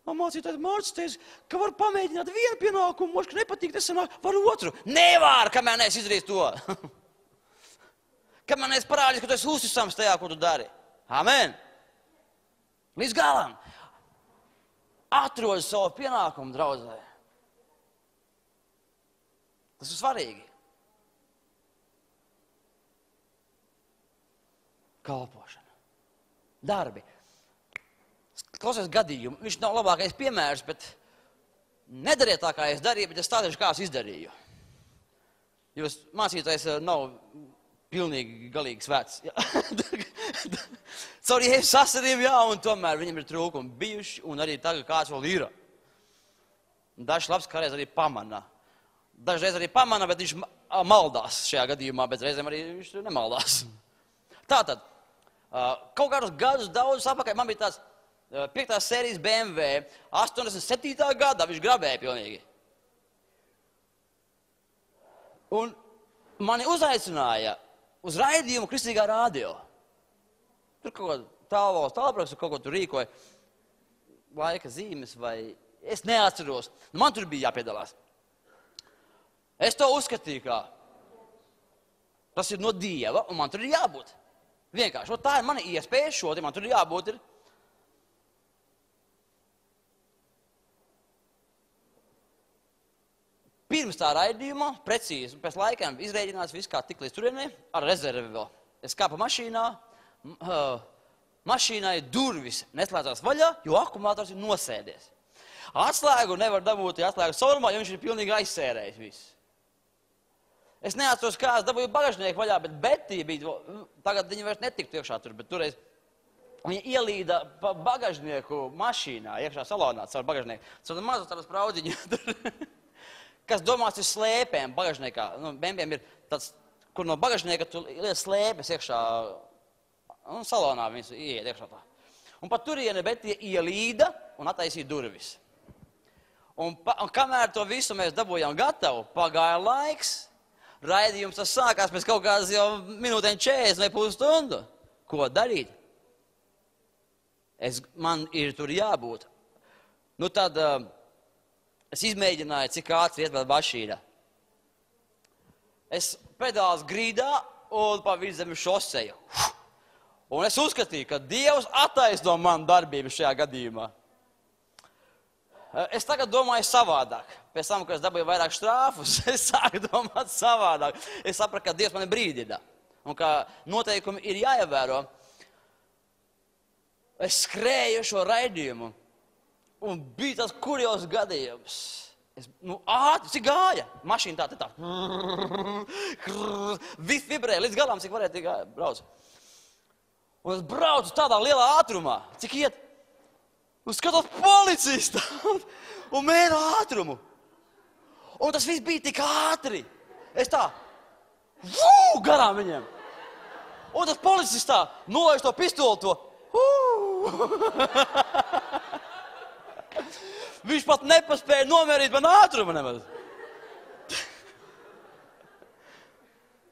Un mācītājs Mārcis teica, ka var pamēģināt vienu pienākumu, moši, ka nepatīk, tas sanāk, var otru. Nevar, kamēr neesi izdarījis to. Kamēr neesi parādījis, ka tu esi uzticams tajā, ko tu dari. Amen! Līdz galam. Atrod savu pienākumu draudzē. Tas ir svarīgi. Kalpošana. Darbi. Klausies gadījumu. Viņš nav labākais piemērs, bet nedariet tā, kā es darīju, bet es stāstīšu, kā es izdarīju. Jūs mācītājs nav pilnīgi galīgi svēts. Caur Jēzus asariem, jā, un tomēr viņam ir trūkumi bijuši, un arī tagad kāds vēl ir. Dažs labs kādreiz arī pamana. Dažreiz arī pamana, bet viņš maldās šajā gadījumā, bet reizēm arī viņš nemaldās. Tātad, kaut kādus gadus daudzus apakaļ, man bija tāds piektās sērijas B M W, astoņdesmit septītā gadā viņš grabēja pilnīgi. Un mani uzaicināja uz raidījumu Kristīgā radio. Tur kaut ko tālvalsts tālpraks, kaut ko tur rīkoja, laika zīmes vai es neatceros. Man tur bija jāpiedalās. Es to uzskatīju, kā tas ir no Dieva, un man tur ir jābūt. Vienkārši, tā ir mana iespēja šodien, man tur ir jābūt. Ir. Pirms tā raidījuma, precīzi, pēc laikiem izrēģināts viss kā tik līdz turienē, ar rezervi vēl. Es kāpu mašīnā, mašīnai durvis neslēdzās vaļā, jo akumulators ir nosēdies. Atslēgu nevar dabūt, ja atslēgu saurumā, jo viņš ir pilnīgi aizsērējis viss. Es neatceros, kā es dabūju bagažnieku vaļā, bet Betī bija, tagad viņa vairs netiktu iekšā tur, bet toreiz viņa ielīda pa bagažnieku mašīnā, iekšā salonā, caur bagažnieku. Caur mazu tādu spraudziņu tur. Kas domās ir slēpēm bagažniekā. Nu, bembiem ir tāds, kur no bagažnieka tu liec slēpes iekšā, un salonā viņas ieiet iekšā tā. Un pat turieni Betija ielīda un attaisīja durvis. Un, pa, un kamēr to visu mēs dabūjām gatavu, pagāja laiks, raidījums tas sākās pēc kaut kādas jau minūtēm četrdesmit vai pusstundu. Ko darīt? Es, man ir tur jābūt. Nu tad... Uh, Es izmēģināju, cik ātri iet vēl mašīna. Es pedāls grīdā un pa vidzemi šoseju. Un es uzskatīju, ka Dievs attaisno manu darbību šajā gadījumā. Es tagad domāju savādāk. Pēc tam, kad es dabūju vairāk štrāfus, es sāku domāt savādāk. Es sapratu, ka Dievs mani brīdina un ka noteikumi ir jāievēro. Es skrēju šo raidījumu. Un bija tas kurjos gadījums. Es, nu, ātri, cik gāja? Mašīna tā, tā, tā. Viss vibrēja līdz galam, cik varēja tik brauc. Un es braucu tādā lielā ātrumā. Cik iet? Un skatos policijas tādu. Un mēra ātrumu. Un tas viss bija tik ātri. Es tā, vū, garām viņiem. Un tas policis tā, nolaiž to pistoli to. Viņš pat nepaspēja nomērīt man ātrumu nemaz.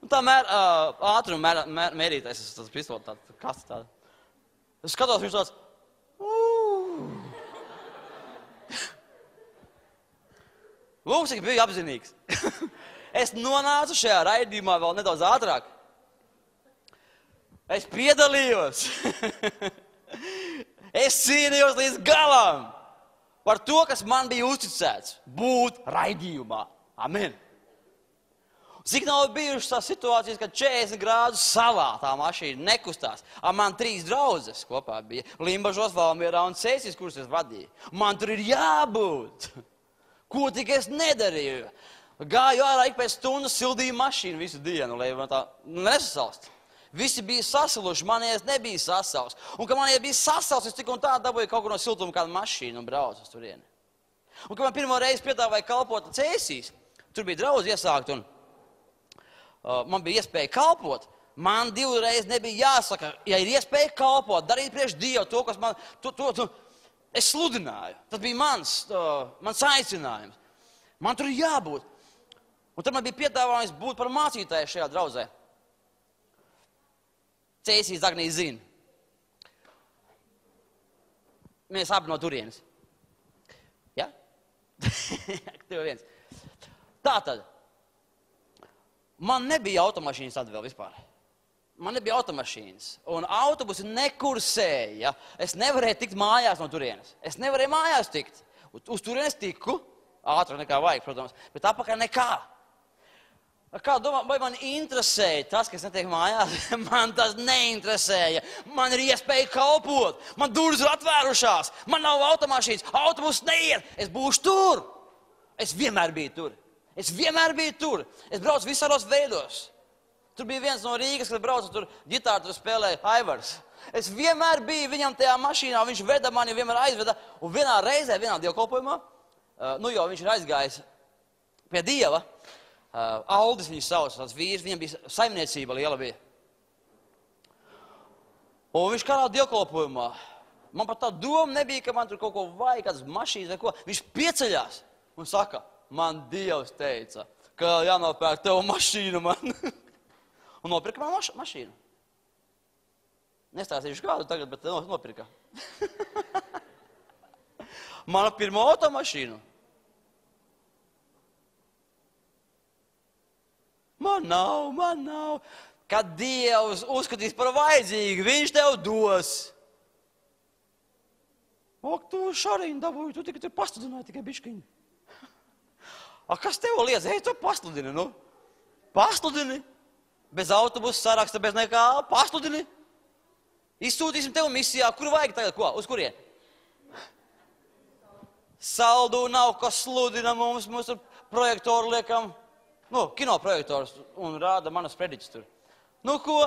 Tā mēr, uh, ātruma mēr, mēr, mērītais, tas pistoli tāds, kas tāds. Es skatos, viņš tāds. Lūk, cik biju apzinīgs. Es nonācu šajā raidījumā vēl nedaudz ātrāk. Es piedalījos. Es cīnījos līdz galam. Par to, kas man bija uzticēts, būt raidījumā. Amen. Cik nav bijušas tās situācijas, kad četrdesmit grādus salā tā mašīna nekustās. A man trīs draudzes kopā bija. Limbažos, Valmierā un Cēsīs, kuras es vadīju. Man tur ir jābūt. Ko tik es nedarīju? Gāju ārā ik pēc stundas, sildīju mašīnu visu dienu, lai man tā nesasalst. Visi bija sasiluši, manies nebija sasals. Un, kad manies bija sasals, es tik un tā dabūju kaut kur no siltuma kādu mašīnu un braucu uz turieni. Un, kad man pirmo reizi piedāvāja kalpot Cēsīs, tur bija draudz iesākt un uh, man bija iespēja kalpot. Man divreiz nebija jāsaka, ja ir iespēja kalpot, darīt priekš Dievu to, kas man, to, to, to, es sludināju. Tas bija mans, uh, mans aicinājums. Man tur ir jābūt. Un tad man bija piedāvājums būt par mācītāju šajā draudzē. Cēsīs Agnija zina. Mēs abi no turienes. Ja? Tev viens. Tātad, man nebija automašīnas tad vēl vispār. Man nebija automašīnas. Un autobusi nekursēja. Es nevarēju tikt mājās no turienes. Es nevarēju mājās tikt. Uz turienes tiku, ātrāk nekā vajag, protams, bet apakaļ nekā. Kā domā, vai man interesēja tas, kas netiek mājās? Man tas neinteresēja. Man ir iespēja kalpot. Man durvis ir atvērušās. Man nav automašīnas. Autobus neiet. Es būšu tur. Es vienmēr biju tur. Es vienmēr biju tur. Es braucu visādos veidos. Tur bija viens no Rīgas, kad braucu tur ģitāru, tur spēlēja Aivars. Es vienmēr biju viņam tajā mašīnā. Viņš veda mani, vienmēr aizveda. Un vienā reizē, vienā dievkalpojumā, uh, nu jau viņš ir aizgājis pie Dieva. Uh, Aldis viņu sauc, tāds vīrs, viņam bija saimniecība liela bija. Un viņš kādā dievkalpojumā, man pat tā doma nebija, ka man tur kaut ko vajag, kādas mašīnas vai ko. Viņš pieceļās un saka, man Dievs teica, ka jānopērk tev mašīnu man. Un nopirka man maš mašīnu. Nestāstīšu kādu tagad, bet nopirka. Mana pirmo automašīnu. Man nav, man nav. Kad Dievs uzskatīs par vajadzīgu, viņš tev dos. Ak, tu šariņu dabūji, tu tikai tur pasludināji tikai biškiņu. A, kas tev liedz? Ej, tu pasludini, nu. Pasludini. Bez autobusa saraksta, bez nekā. Pasludini. Izsūtīsim tev misijā. Kur vajag tagad? Ko? Uz kurien? Saldu nav, kas sludina mums, mūsu projektoru liekam. Nu, kinoprojektors un rāda manas prediķis tur. Nu ko?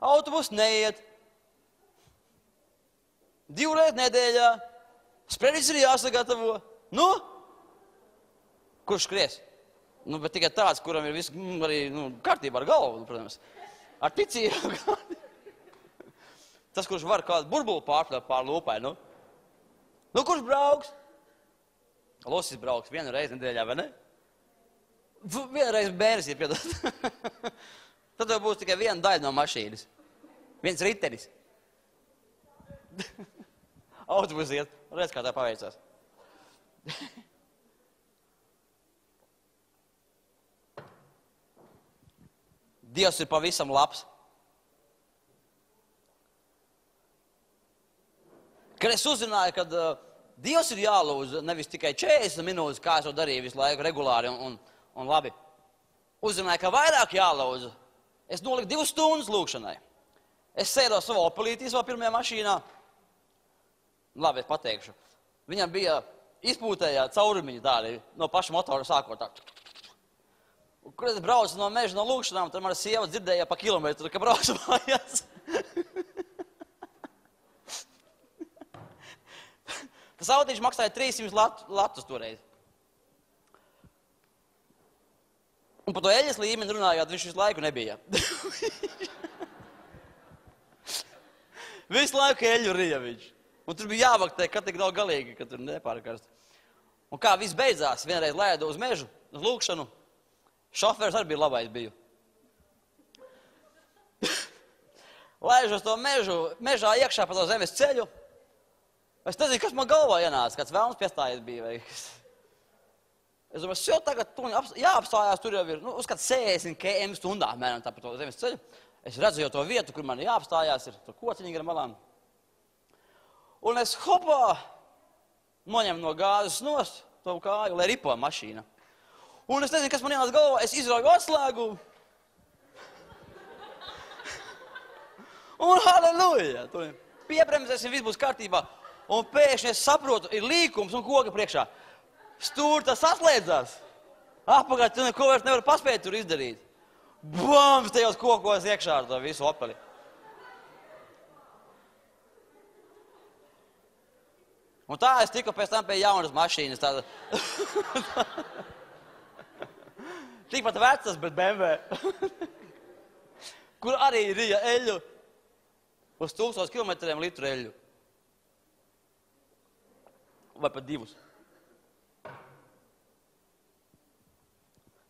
Autobus neiet. Divreiz nedēļā. Sprediķis ir jāsagatavo. Nu? Kurš skries? Nu, bet tikai tāds, kuram ir viss arī nu, kārtībā ar galvu, protams. Ar ticību. Tas, kurš var kādu burbulu pārpļaut pār lūpai, nu? Nu, kurš brauks? Losis brauks vienu reizi nedēļā, vai ne? Vienreiz bērnis ir piedot. Tad jau būs tikai viena daļa no mašīnas. Viens ritenis. Autobus iet. Redz, kā tā paveicās. Dievs ir pavisam labs. Kad es uzzināju, kad uh, Dievs ir jālūdz nevis tikai četrdesmit minūtes, kā es to darīju visu laiku regulāri un, un Un labi, uzzināju, ka vairāk jālūdzu. Es noliku divas stundas lūkšanai. Es sēdos savā opelītī, savā pirmajā mašīnā. Labi, es pateikšu. Viņam bija izpūtējā caurumiņa tādi no paša motora sākot tā. Un, kad es braucu no meža no lūkšanām, tad mana sieva dzirdēja pa kilometru, ka braucu mājās. Tas autīši maksāja trīssimt latus toreiz. Un par to eļas līmeni runājot, viņš visu laiku nebija. Visu laiku eļu rija viņš. Un tur bija jāvaktē, kad tik nav galīgi, ka tur nepārkarst. Un kā viss beidzās, vienreiz lēdu uz mežu, uz lūkšanu. Šofērs arī bija labais biju. Lēžu uz to mežu, mežā iekšā pa to zemes ceļu. Es nezinu, kas man galvā ienāca, kāds vēlns piestājies bija vai kas. Es domāju, jau tagad tu jāapstājās, tur jau ir, nu, uz kāds sešdesmit kilometru stundā, mēram tā pa to zemes ceļu. Es redzu jau to vietu, kur man jāapstājās, ir tur kociņi gar malām. Un es hopā noņemu no gāzes nost to kāju, lai ripo mašīna. Un es nezinu, kas man ienāca galvā, es izrauju atslēgumu. Un halleluja! Tur piebremzēsim, viss būs kārtībā. Un pēkšņi es saprotu, ir līkums un koka priekšā. Stūri tas saslēdzās. Apakaļ, tu neko vairs nevar paspēt tur izdarīt. Bams, tajos kokos iekšā ar to visu opeli. Un tā es tiku pēc tam pie jaunas mašīnas. Tāda... Tikpat vecas, bet B M W. Kur arī rija eļu. Uz tūkstoš kilometriem litru eļu. Vai pat divus.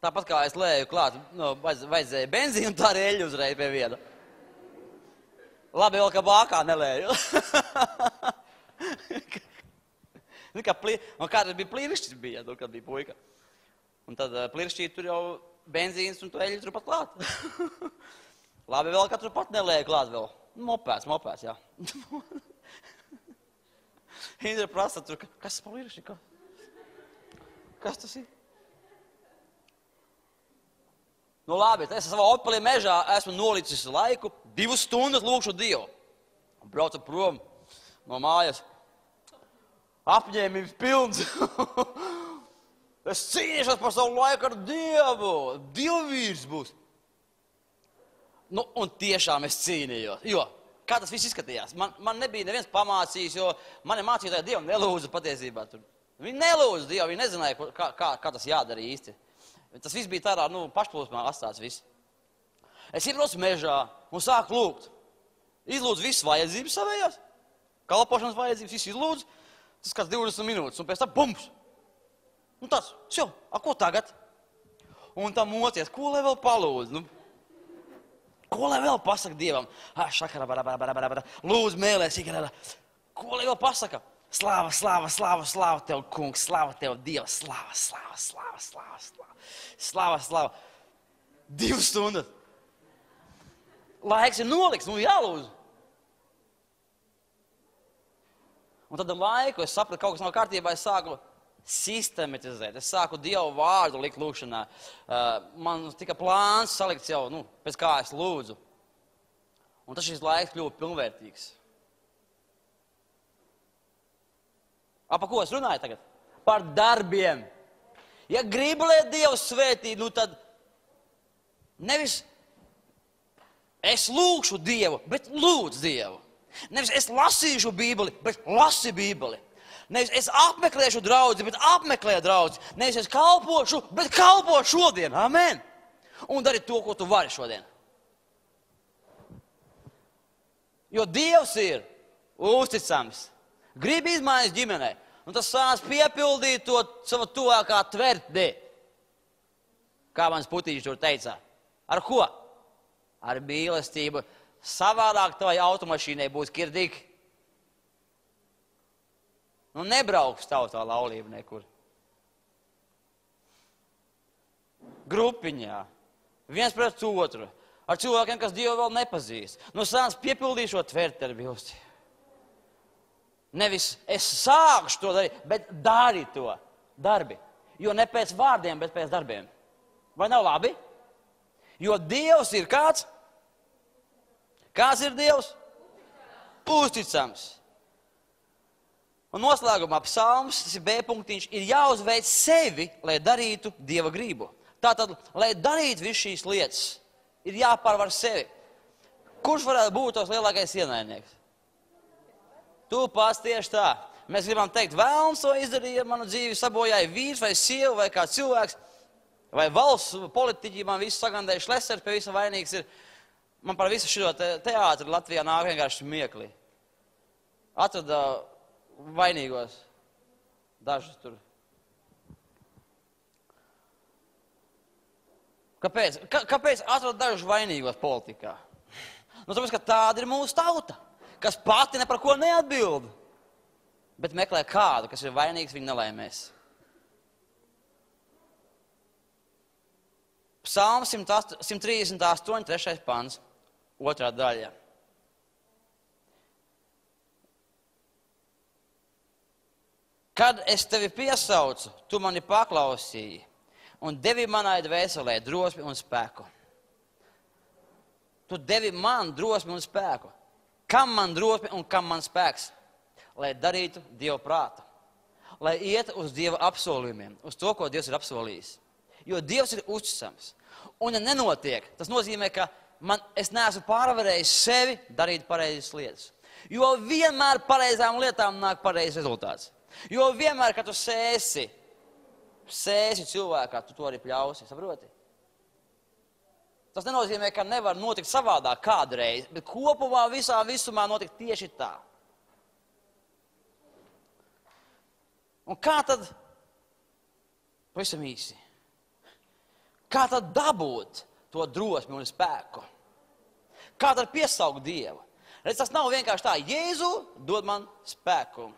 Tāpat kā es lēju klāt, no, vajadzēja benzīnu, tā arī eļu uzreiz pie viena. Labi vēl, ka bākā nelēju. Nu, kā plī... Un kādreiz bija plīrišķis bija, nu, kad bija puika. Un tad uh, plīrišķī tur jau benzīns un tu eļu tur pat klāt. Labi vēl, ka tur pat nelēju klāt vēl. Mopēs, mopēs, jā. Indra prasa tur, kas tas plīrišķi? Ka? Kas tas ir? Nu labi, es savā opelī mežā esmu nolicis laiku, divas stundas lūkšu Dievu. Braucu prom no mājas. Apņēmības pilns. Es cīnīšos par savu laiku ar Dievu. Dievvīrs būs. Nu, un tiešām es cīnījos. Jo, kā tas viss izskatījās? Man, man nebija neviens pamācījis, jo mani mācītāji Dievam nelūdza patiesībā tur. Viņi nelūdza Dievu, viņi nezināja, kā, kā, kā tas jādara īsti. Tas viss bija tādā, nu, pašplūsmā atstāts viss. Es iebraucu mežā un sāku lūgt. Izlūdzu visas vajadzības savējās. Kalpošanas vajadzības, viss izlūdzu. Tas kāds divdesmit minūtes, un pēc tam bums. Nu tāds, šo, a ko tagad? Un tam mocies, ko lai vēl palūdz? Nu, ko lai vēl pasaka Dievam? Ah, šakara, bara, bara, bara, bara, bara. Lūdzu, mēlēs, ikarā. Ko lai vēl pasaka? Slāva, slāva, slāva, slāva tev, kungs, slāva tev, Dievs, slāva, slāva, slāva, slāva, slāva. Slāva, slāva. Divas stundas. Laiks ir noliks, nu jālūdzu. Un tad laiku es sapratu, kaut kas nav kārtībā, es sāku sistematizēt. Es sāku Dievu vārdu likt lūkšanā. Uh, man tika plāns salikts jau, nu, pēc kā es lūdzu. Un tas šis laiks kļuva pilnvērtīgs. A, pa ko es runāju tagad? Par darbiem. Ja gribu, lai Dievs svētī, nu tad nevis es lūkšu Dievu, bet lūdzu Dievu. Nevis es lasīšu Bībeli, bet lasi Bībeli. Nevis es apmeklēšu draudzi, bet apmeklē draudzi. Nevis es kalpošu, bet kalpo šodien. Amen. Un dari to, ko tu vari šodien. Jo Dievs ir uzticams. Grib izmaiņas ģimenei. Un tas sāc piepildīt to savu tuvākā tvertni. Kā mans putīši tur teica. Ar ko? Ar mīlestību. Savādāk tavai automašīnai būs kirdīgi. Nu nebrauks tavu tā laulība nekur. Grupiņā. Viens pret otru. Ar cilvēkiem, kas Dievu vēl nepazīst. Nu sāc piepildīt šo tvertni ar mīlestību. Nevis es sākšu to darīt, bet dari to. Darbi. Jo ne pēc vārdiem, bet pēc darbiem. Vai nav labi? Jo Dievs ir kāds? Kāds ir Dievs? Uzticams. Un noslēgumā psalms, tas ir B punktiņš, ir jāuzveic sevi, lai darītu Dieva gribu. Tātad, lai darītu visu šīs lietas, ir jāpārvar sevi. Kurš varētu būt tos lielākais ienaidnieks? Tu pats tieši tā. Mēs gribam teikt, vēlns to izdarīja, manu dzīvi sabojāja vīrs vai sieva vai kā cilvēks, vai valsts politiķi, man visu sagandēja Šlesers, pie visa vainīgs ir. Man par visu šo te, teātri Latvijā nāk vienkārši smieklī. Atrada vainīgos dažus tur. Kāpēc? Kā, kāpēc atrada dažus vainīgos politikā? Nu, tāpēc, ka tāda ir mūsu tauta, kas pati ne par ko neatbild, bet meklē kādu, kas ir vainīgs viņa nelaimēs. Psalms simt trīsdesmit astoņi, trešais pants, otrā daļa. Kad es tevi piesaucu, tu mani paklausīji. un devi manai dvēselē drosmi un spēku. Tu devi man drosmi un spēku. Kam man drosmi un kam man spēks? Lai darītu Dieva prātu. Lai iet uz Dieva apsolījumiem, uz to, ko Dievs ir apsolījis. Jo Dievs ir uzticams. Un ja nenotiek, tas nozīmē, ka man, es neesmu pārvarējis sevi darīt pareizas lietas. Jo vienmēr pareizām lietām nāk pareizs rezultāts. Jo vienmēr, kad tu sēsi, sēsi cilvēkā, tu to arī pļausi, saproti? Tas nenozīmē, ka nevar notikt savādāk kādreiz, bet kopumā visā visumā notikt tieši tā. Un kā tad, pavisam īsi, kā tad dabūt to drosmi un spēku? Kā tad piesaukt Dievu? Redz, tas nav vienkārši tā, Jēzu dod man spēku.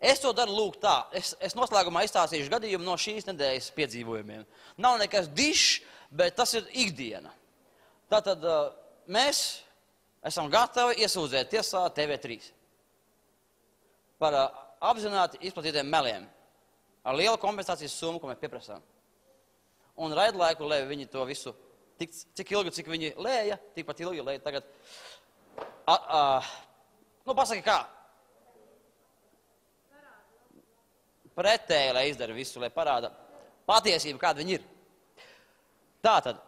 Es to daru lūk tā, es, es noslēgumā izstāstīšu gadījumu no šīs nedēļas piedzīvojumiem. Nav nekas dišs, bet tas ir ikdiena. Tātad mēs esam gatavi iesūdzēt tiesā T V trīs par apzināti izplatītiem meliem ar lielu kompensācijas summu, ko mēs pieprasām. Un raidlaiku, lai viņi to visu, tik, cik ilgi, cik viņi lēja, tikpat ilgi lēja tagad. A, a, nu, pasaki kā? Pretēji, lai izdara visu, lai parāda patiesību, kāda viņi ir. Tātad.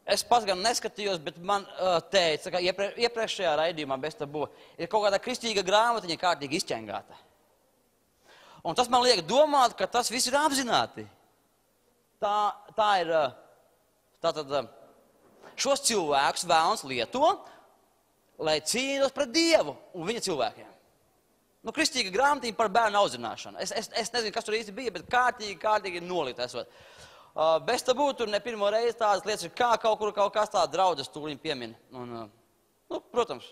Es pats gan neskatījos, bet man uh, teica, ka iepre, iepriekšējā raidījumā bez tabū ir kaut kāda kristīga grāmatiņa kārtīgi izķengāta. Un tas man liek domāt, ka tas viss ir apzināti. Tā, tā ir, tātad, šos cilvēkus vēlns lieto, lai cīnītos pret Dievu un viņa cilvēkiem. Nu, kristīga grāmatiņa par bērnu audzināšanu. Es, es, es nezinu, kas tur īsti bija, bet kārtīgi, kārtīgi nolikt esot. Uh, bez tabū tur ne pirmo reizi tādas lietas ir, kā kaut kur kaut kas tā draudzes tūliņ piemin. Un, uh, nu, protams,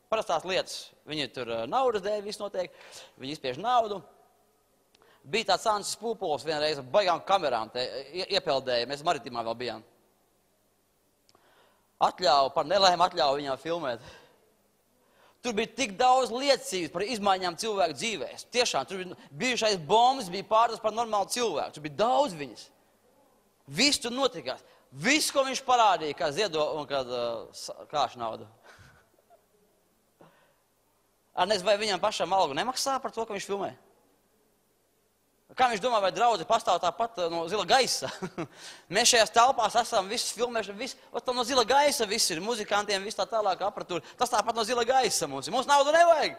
parastās lietas. Viņi tur uh, naudas dēļ viss notiek, viņi izspiež naudu. Bija tāds Ansis Pūpols vienreiz ar baigām kamerām te iepeldēja, mēs Maritimā vēl bijām. Atļauju, par nelēmu atļauju viņām filmēt. Tur bija tik daudz liecības par izmaiņām cilvēku dzīvēs. Tiešām, tur bija bijušais bombas, bija pārdas par normālu cilvēku. Tur bija daudz viņas. Viss tur notikās. Viss, ko viņš parādīja, kā ziedo un kā uh, kāšu naudu. Ar nezinu, vai viņam pašam algu nemaksā par to, ka viņš filmē? Kā viņš domā, vai draudzi pastāv tāpat no zila gaisa? Mēs šajās telpās esam visus filmēšana, viss, no zila gaisa viss ir, muzikantiem, viss tā tālāk aparatūra. Tas tāpat no zila gaisa mums ir. Mums naudu nevajag.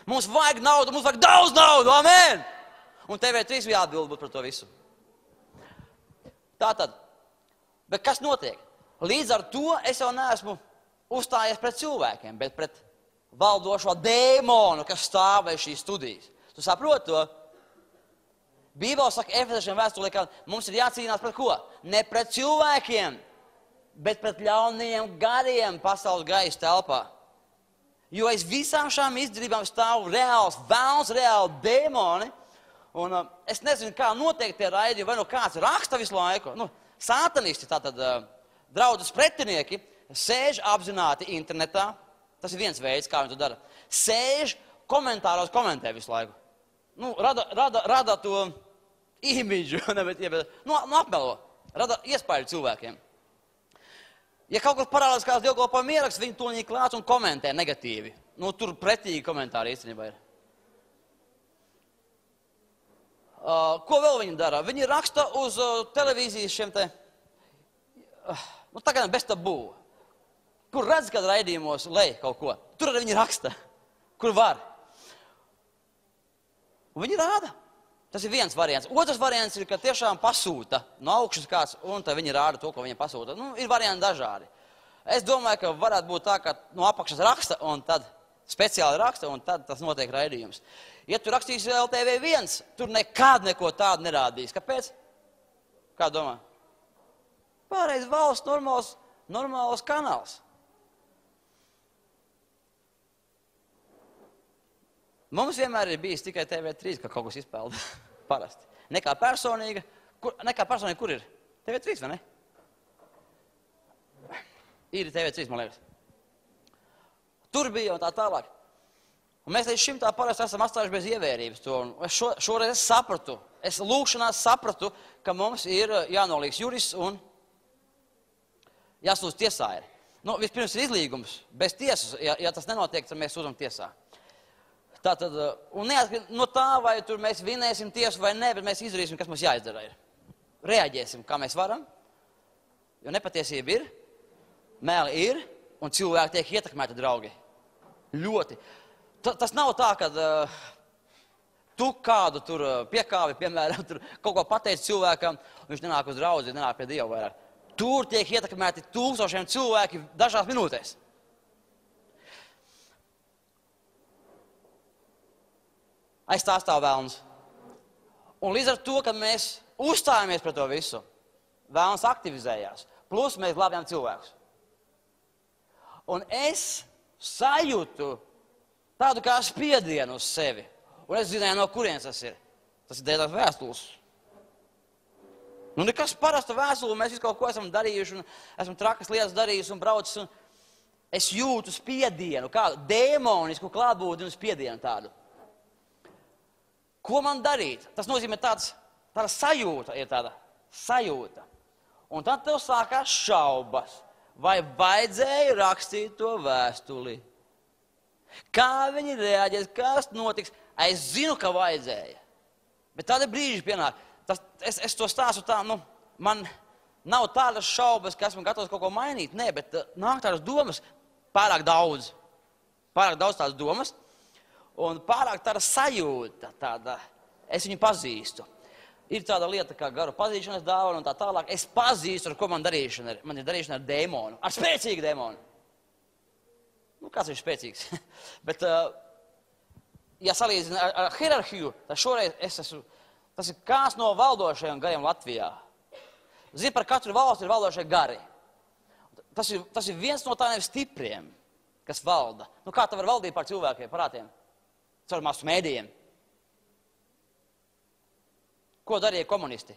Mums vajag naudu, mums vajag daudz naudu, amen! Un T V trīs bija atbild būt par to visu. Tātad, bet kas notiek? Līdz ar to es jau neesmu uzstājies pret cilvēkiem, bet pret valdošo dēmonu, kas stāv aiz šīs studijas. Tu saproti to? Bībele saka Efeziešiem vēstulē, ka mums ir jācīnās pret ko? Ne pret cilvēkiem, bet pret ļaunajiem gariem pasaules gaisa telpā. Jo aiz visām šām izdarībām stāv reāls velns, reāli dēmoni. Un uh, es nezinu, kā notiek tie raidījumi, vai no kāds raksta visu laiku. Nu, sātanisti, tātad uh, draudzes pretinieki, sēž apzināti internetā. Tas ir viens veids, kā viņi to dara. Sēž komentāros, komentē visu laiku. Nu, rada, rada, rada to imidžu, ne, bet, ja, bet, nu, nu, apmelo, rada iespēju cilvēkiem. Ja kaut kas parādās kāds dievkalpojuma ieraksts, viņi to viņi klāts un komentē negatīvi. Nu, tur pretīgi komentāri īstenībā ir. Uh, ko vēl viņi dara? Viņi raksta uz uh, televīzijas šiem te, uh, nu, tagad bez tabū. Kur redz, kad raidījumos lej kaut ko. Tur arī viņi raksta, kur var. Un viņi rāda. Tas ir viens variants. Otrs variants ir, ka tiešām pasūta no augšas kāds, un tad viņi rāda to, ko viņiem pasūta. Nu, ir varianti dažādi. Es domāju, ka varētu būt tā, ka no apakšas raksta, un tad speciāli raksta, un tad tas notiek raidījums. Ja tu rakstīsi L T V viens, tur nekad neko tādu nerādīs. Kāpēc? Kā domā? Pārreiz valsts normāls, normāls kanāls. Mums vienmēr ir bijis tikai T V trīs, ka kaut kas izpelda parasti. Nekā personīga, kur, nekā personīga, kur ir? T V trīs, vai ne? Ir T V trīs, man liekas. Tur bija un tā tālāk. Un mēs līdz šim tā parasti esam atstājuši bez ievērības to. Un es šo, šoreiz es sapratu, es lūkšanās sapratu, ka mums ir jānolīgs jurists un jāsūdz tiesā ir. Nu, vispirms ir izlīgums, bez tiesas, ja, ja tas nenotiek, tad mēs sūdzam tiesā. Tātad, un neatkarīgi no tā, vai tur mēs vinēsim tiesu vai ne, bet mēs izdarīsim, kas mums jāizdara ir. Reaģēsim, kā mēs varam, jo nepatiesība ir, mēli ir, un cilvēki tiek ietekmēti, draugi. Ļoti. Ta, tas nav tā, ka uh, tu kādu tur uh, piekāvi, piemēram, tur kaut ko pateici cilvēkam, un viņš nenāk uz draudzi, nenāk pie Dieva vairāk. Tur tiek ietekmēti tūkstošiem cilvēki dažās minūtēs. Aiz tā stāv velns. Un līdz ar to, kad mēs uzstājamies pret to visu, velns aktivizējās. Plus mēs glābjām cilvēkus. Un es sajūtu tādu kā spiedienu uz sevi. Un es zināju, no kurienes tas ir. Tas ir dēļ tās vēstules. Nu, nekas parasta vēstule, mēs visu kaut ko esam darījuši, un esam trakas lietas darījuši un braucis, un es jūtu spiedienu, kādu dēmonisku klātbūtni un spiedienu tādu. Ko man darīt? Tas nozīmē tāds, tāda sajūta ir tāda sajūta. Un tad tev sākās šaubas, vai vajadzēja rakstīt to vēstuli. Kā viņi reaģēs, kas notiks? Es zinu, ka vajadzēja. Bet tādi brīži pienāk. Tas, es, es to stāstu tā, nu, man nav tādas šaubas, ka esmu gatavs kaut ko mainīt. Nē, bet uh, nāk tādas domas pārāk daudz. Pārāk daudz tādas domas. Un pārāk tāda sajūta, tāda, es viņu pazīstu. Ir tāda lieta kā garu pazīšanas dāvana un tā tālāk. Es pazīstu, ar ko man darīšana ir. Man ir darīšana ar dēmonu, ar spēcīgu dēmonu. Nu, kāds ir spēcīgs? Bet, uh, ja salīdzina ar, ar hierarhiju, tad šoreiz es esmu, tas ir kāds no valdošajiem gariem Latvijā. Zini, par katru valsti ir valdošie gari. Tas ir, tas ir viens no tādiem stipriem, kas valda. Nu, kā tā var valdīt par cilvēkiem, parātiem? Caur masu mēdījiem. Ko darīja komunisti?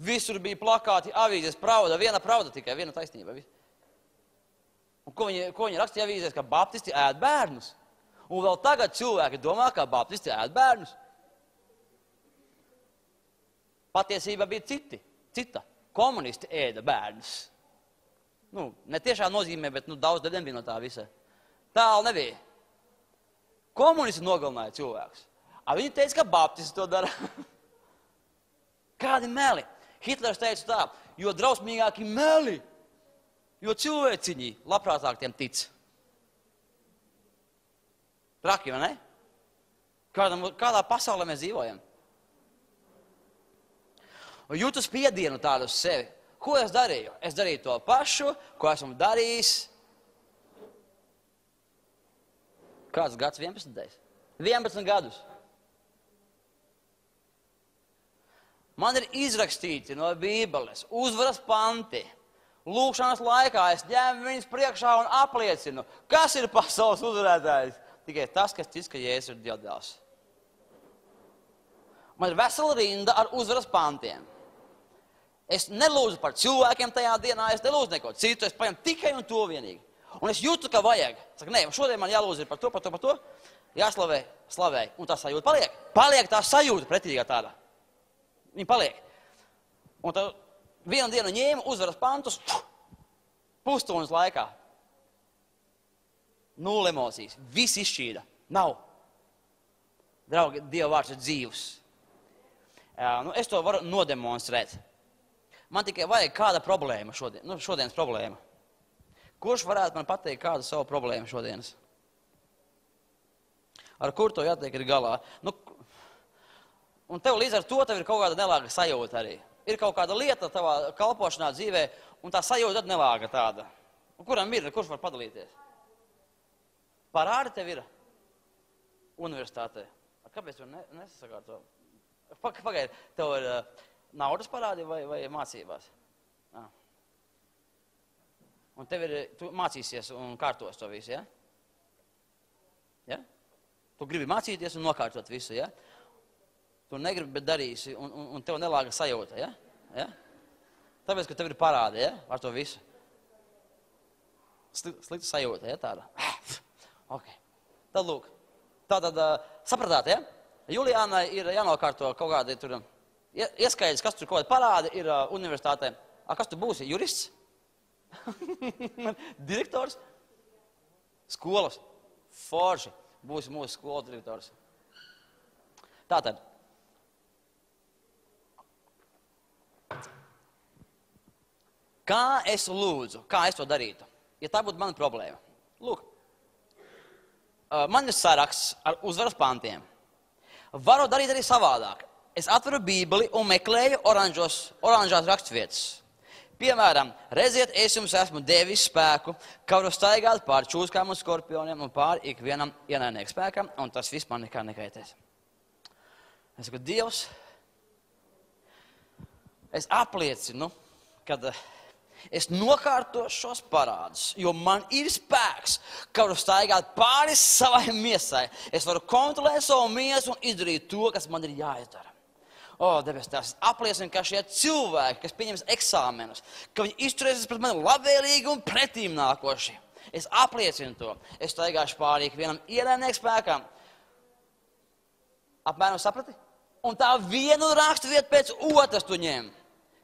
Visur bija plakāti, avīzes, pravda, viena pravda tikai, viena taisnība. Un ko viņi, ko viņi rakstīja avīzēs, ka baptisti ēd bērnus? Un vēl tagad cilvēki domā, ka baptisti ēd bērnus. Patiesība bija citi, cita. Komunisti ēda bērnus. Nu, ne tiešā nozīmē, bet nu, daudz daļiem bija no tā visa. Tālu nebija. Komunisti nogalināja cilvēkus. A viņi teica, ka baptisti to dara. Kādi meli? Hitlers teica tā, jo drausmīgāki meli, jo cilvēciņi labprātāk tiem tic. Traki, vai ne? Kādā, kādā pasaulē mēs dzīvojam? Un jūtu spiedienu tādu uz sevi. Ko es darīju? Es darīju to pašu, ko esmu darījis. Kāds gads? vienpadsmitais? vienpadsmit gadus. Man ir izrakstīti no Bībeles uzvaras panti. Lūkšanas laikā es ņēmu viņus priekšā un apliecinu, kas ir pasaules uzvarētājs. Tikai tas, kas tic, ka Jēzus ir Dieva dēls. Man ir vesela rinda ar uzvaras pantiem. Es nelūdzu par cilvēkiem tajā dienā, es nelūdzu neko citu, es paņemu tikai un to vienīgi. Un es jūtu, ka vajag. Saku, nē, šodien man jālūdz ir par to, par to, par to. Jāslavē, slavē. Un tā sajūta paliek. Paliek tā sajūta pretīgā tāda. Viņa paliek. Un tad vienu dienu ņēma uzvaras pantus pusstundas laikā. Nulle emocijas. Viss izšķīda. Nav. Draugi, Dieva vārds ir dzīvs. Jā, nu, es to varu nodemonstrēt. Man tikai vajag kāda problēma šodien, nu, šodienas problēma. Kurš varētu man pateikt kādu savu problēmu šodienas? Ar kur to jātiek ir galā? Nu, un tev līdz ar to tev ir kaut kāda nelāga sajūta arī. Ir kaut kāda lieta tavā kalpošanā dzīvē, un tā sajūta tad nelāga tāda. Un kuram ir, kurš var padalīties? Parādi tev ir universitātē. Kāpēc tu ne, nesakārto? Pagaidi, tev ir uh, naudas parādi vai, vai mācībās? Ah. Un tev ir, tu mācīsies un kārtos to visu, ja? Ja? Tu gribi mācīties un nokārtot visu, ja? Tu negribi, bet darīsi, un, un, un tev nelāga sajūta, ja? Ja? Tāpēc, ka tev ir parādi, ja? Ar to visu. Slikta sajūta, ja? Tāda. Ok. Tad lūk, Tātad, sapratāt, ja? Juliānai ir jānokārto kaut kādi tur ieskaidrs, kas tur kaut kādi parādi ir universitātē. A, kas tu būsi? Jurists? Direktors? Skolas? Forši. Būsi mūsu skolas direktors. Tātad. Kā es lūdzu? Kā es to darītu? Ja tā būtu mana problēma. Lūk. Man ir saraksts ar uzvaras pantiem. Varu darīt arī savādāk. Es atveru Bībeli un meklēju oranžos, oranžās rakstvietas. Piemēram, redziet, es jums esmu devis spēku, ka varu staigāt pār čūskām un skorpioniem un pār ikvienam ienaidnieku spēkam, un tas viss man nekā nekaitēs. Es saku, Dievs, es apliecinu, kad es nokārtošu šos parādus, jo man ir spēks, ka varu staigāt pāri savai miesai. Es varu kontrolēt savu miesu un izdarīt to, kas man ir jāizdara. O, debes tās, apliecinu, ka šie cilvēki, kas pieņems eksāmenus, ka viņi izturēsies pret mani labvēlīgi un pretīm nākoši. Es apliecinu to. Es staigāšu pāri ikvienam ienaidnieku spēkam. Apmēram saprati? Un tā vienu rakstvietu pēc otras tu ņem.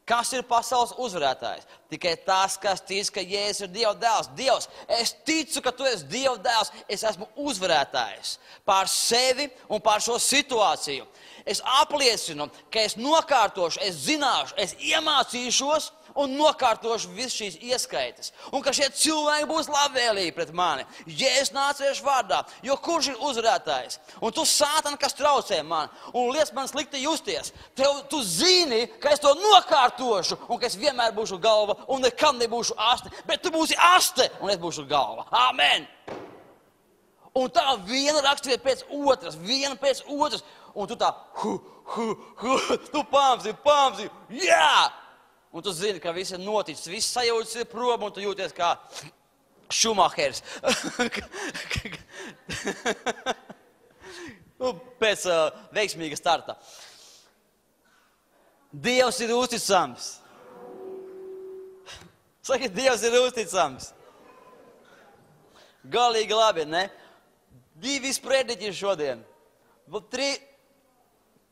Kas ir pasaules uzvarētājs? Tikai tas, kas tic, ka Jēzus ir Dieva dēls. Dievs, es ticu, ka tu esi Dieva dēls. Es esmu uzvarētājs pār sevi un pār šo situāciju. Es apliecinu, ka es nokārtošu, es zināšu, es iemācīšos un nokārtošu visu šīs ieskaitas. Un ka šie cilvēki būs labvēlīgi pret mani. Jēzus nāciešu vārdā, jo kurš ir uzvarētājs? Un tu, Sātan, kas traucē man un liec man slikti justies, tev, tu zini, ka es to nokārtošu un ka es vienmēr būšu galva un nekad nebūšu aste, bet tu būsi aste un es būšu galva. Amen! Un tā viena rakstvieta pēc otras, viena pēc otras, un tu tā, hu, hu, hu, tu pamzi, pamzi, jā! Un tu zini, ka viss ir noticis, viss sajūtas ir prom, un tu jūties kā Šumahers. Pēc uh, veiksmīga starta. Dievs ir uzticams. Saki, Dievs ir uzticams. Galīgi labi, ne? Divi sprediķi šodien. Tri,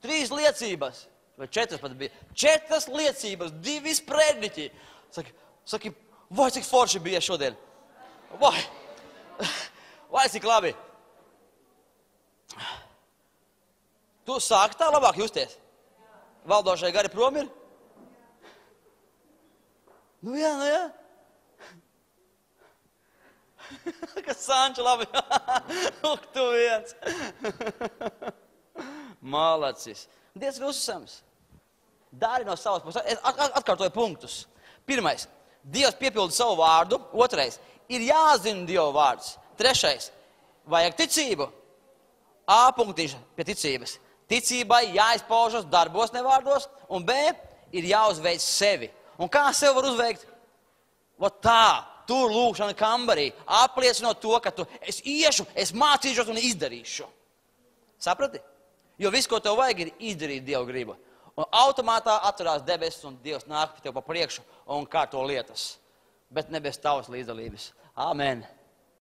trīs liecības. Vai četras pat bija. Četras liecības, divi sprediķi. Saki, saki, vai cik forši bija šodien? Vai, vai cik labi? Tu sāki tā labāk justies? Valdošai gari prom ir? Nu jā, nu jā. Kas Sanča labi. Lūk, tu viens. Malacis. Dievs ir uzticams. Dari no savas puses. Es atkārtoju punktus. Pirmais. Dievs piepilda savu vārdu. Otrais. Ir jāzina Dieva vārds. Trešais. Vajag ticību. A punktiņš pie ticības. Ticībai jāizpaužas darbos, nevārdos. Un B. Ir jāuzveic sevi. Un kā sev var uzveikt? Vot tā. Tur lūkšana kambarī. Apliecinot to, ka tu, es iešu, es mācīšos un izdarīšu. Saprati? Jo viss, ko tev vajag, ir izdarīt Dieva gribu. Un automātā atverās debesis un Dievs nāk tev pa priekšu un kārto lietas. Bet ne bez tavas līdzdalības. Amen.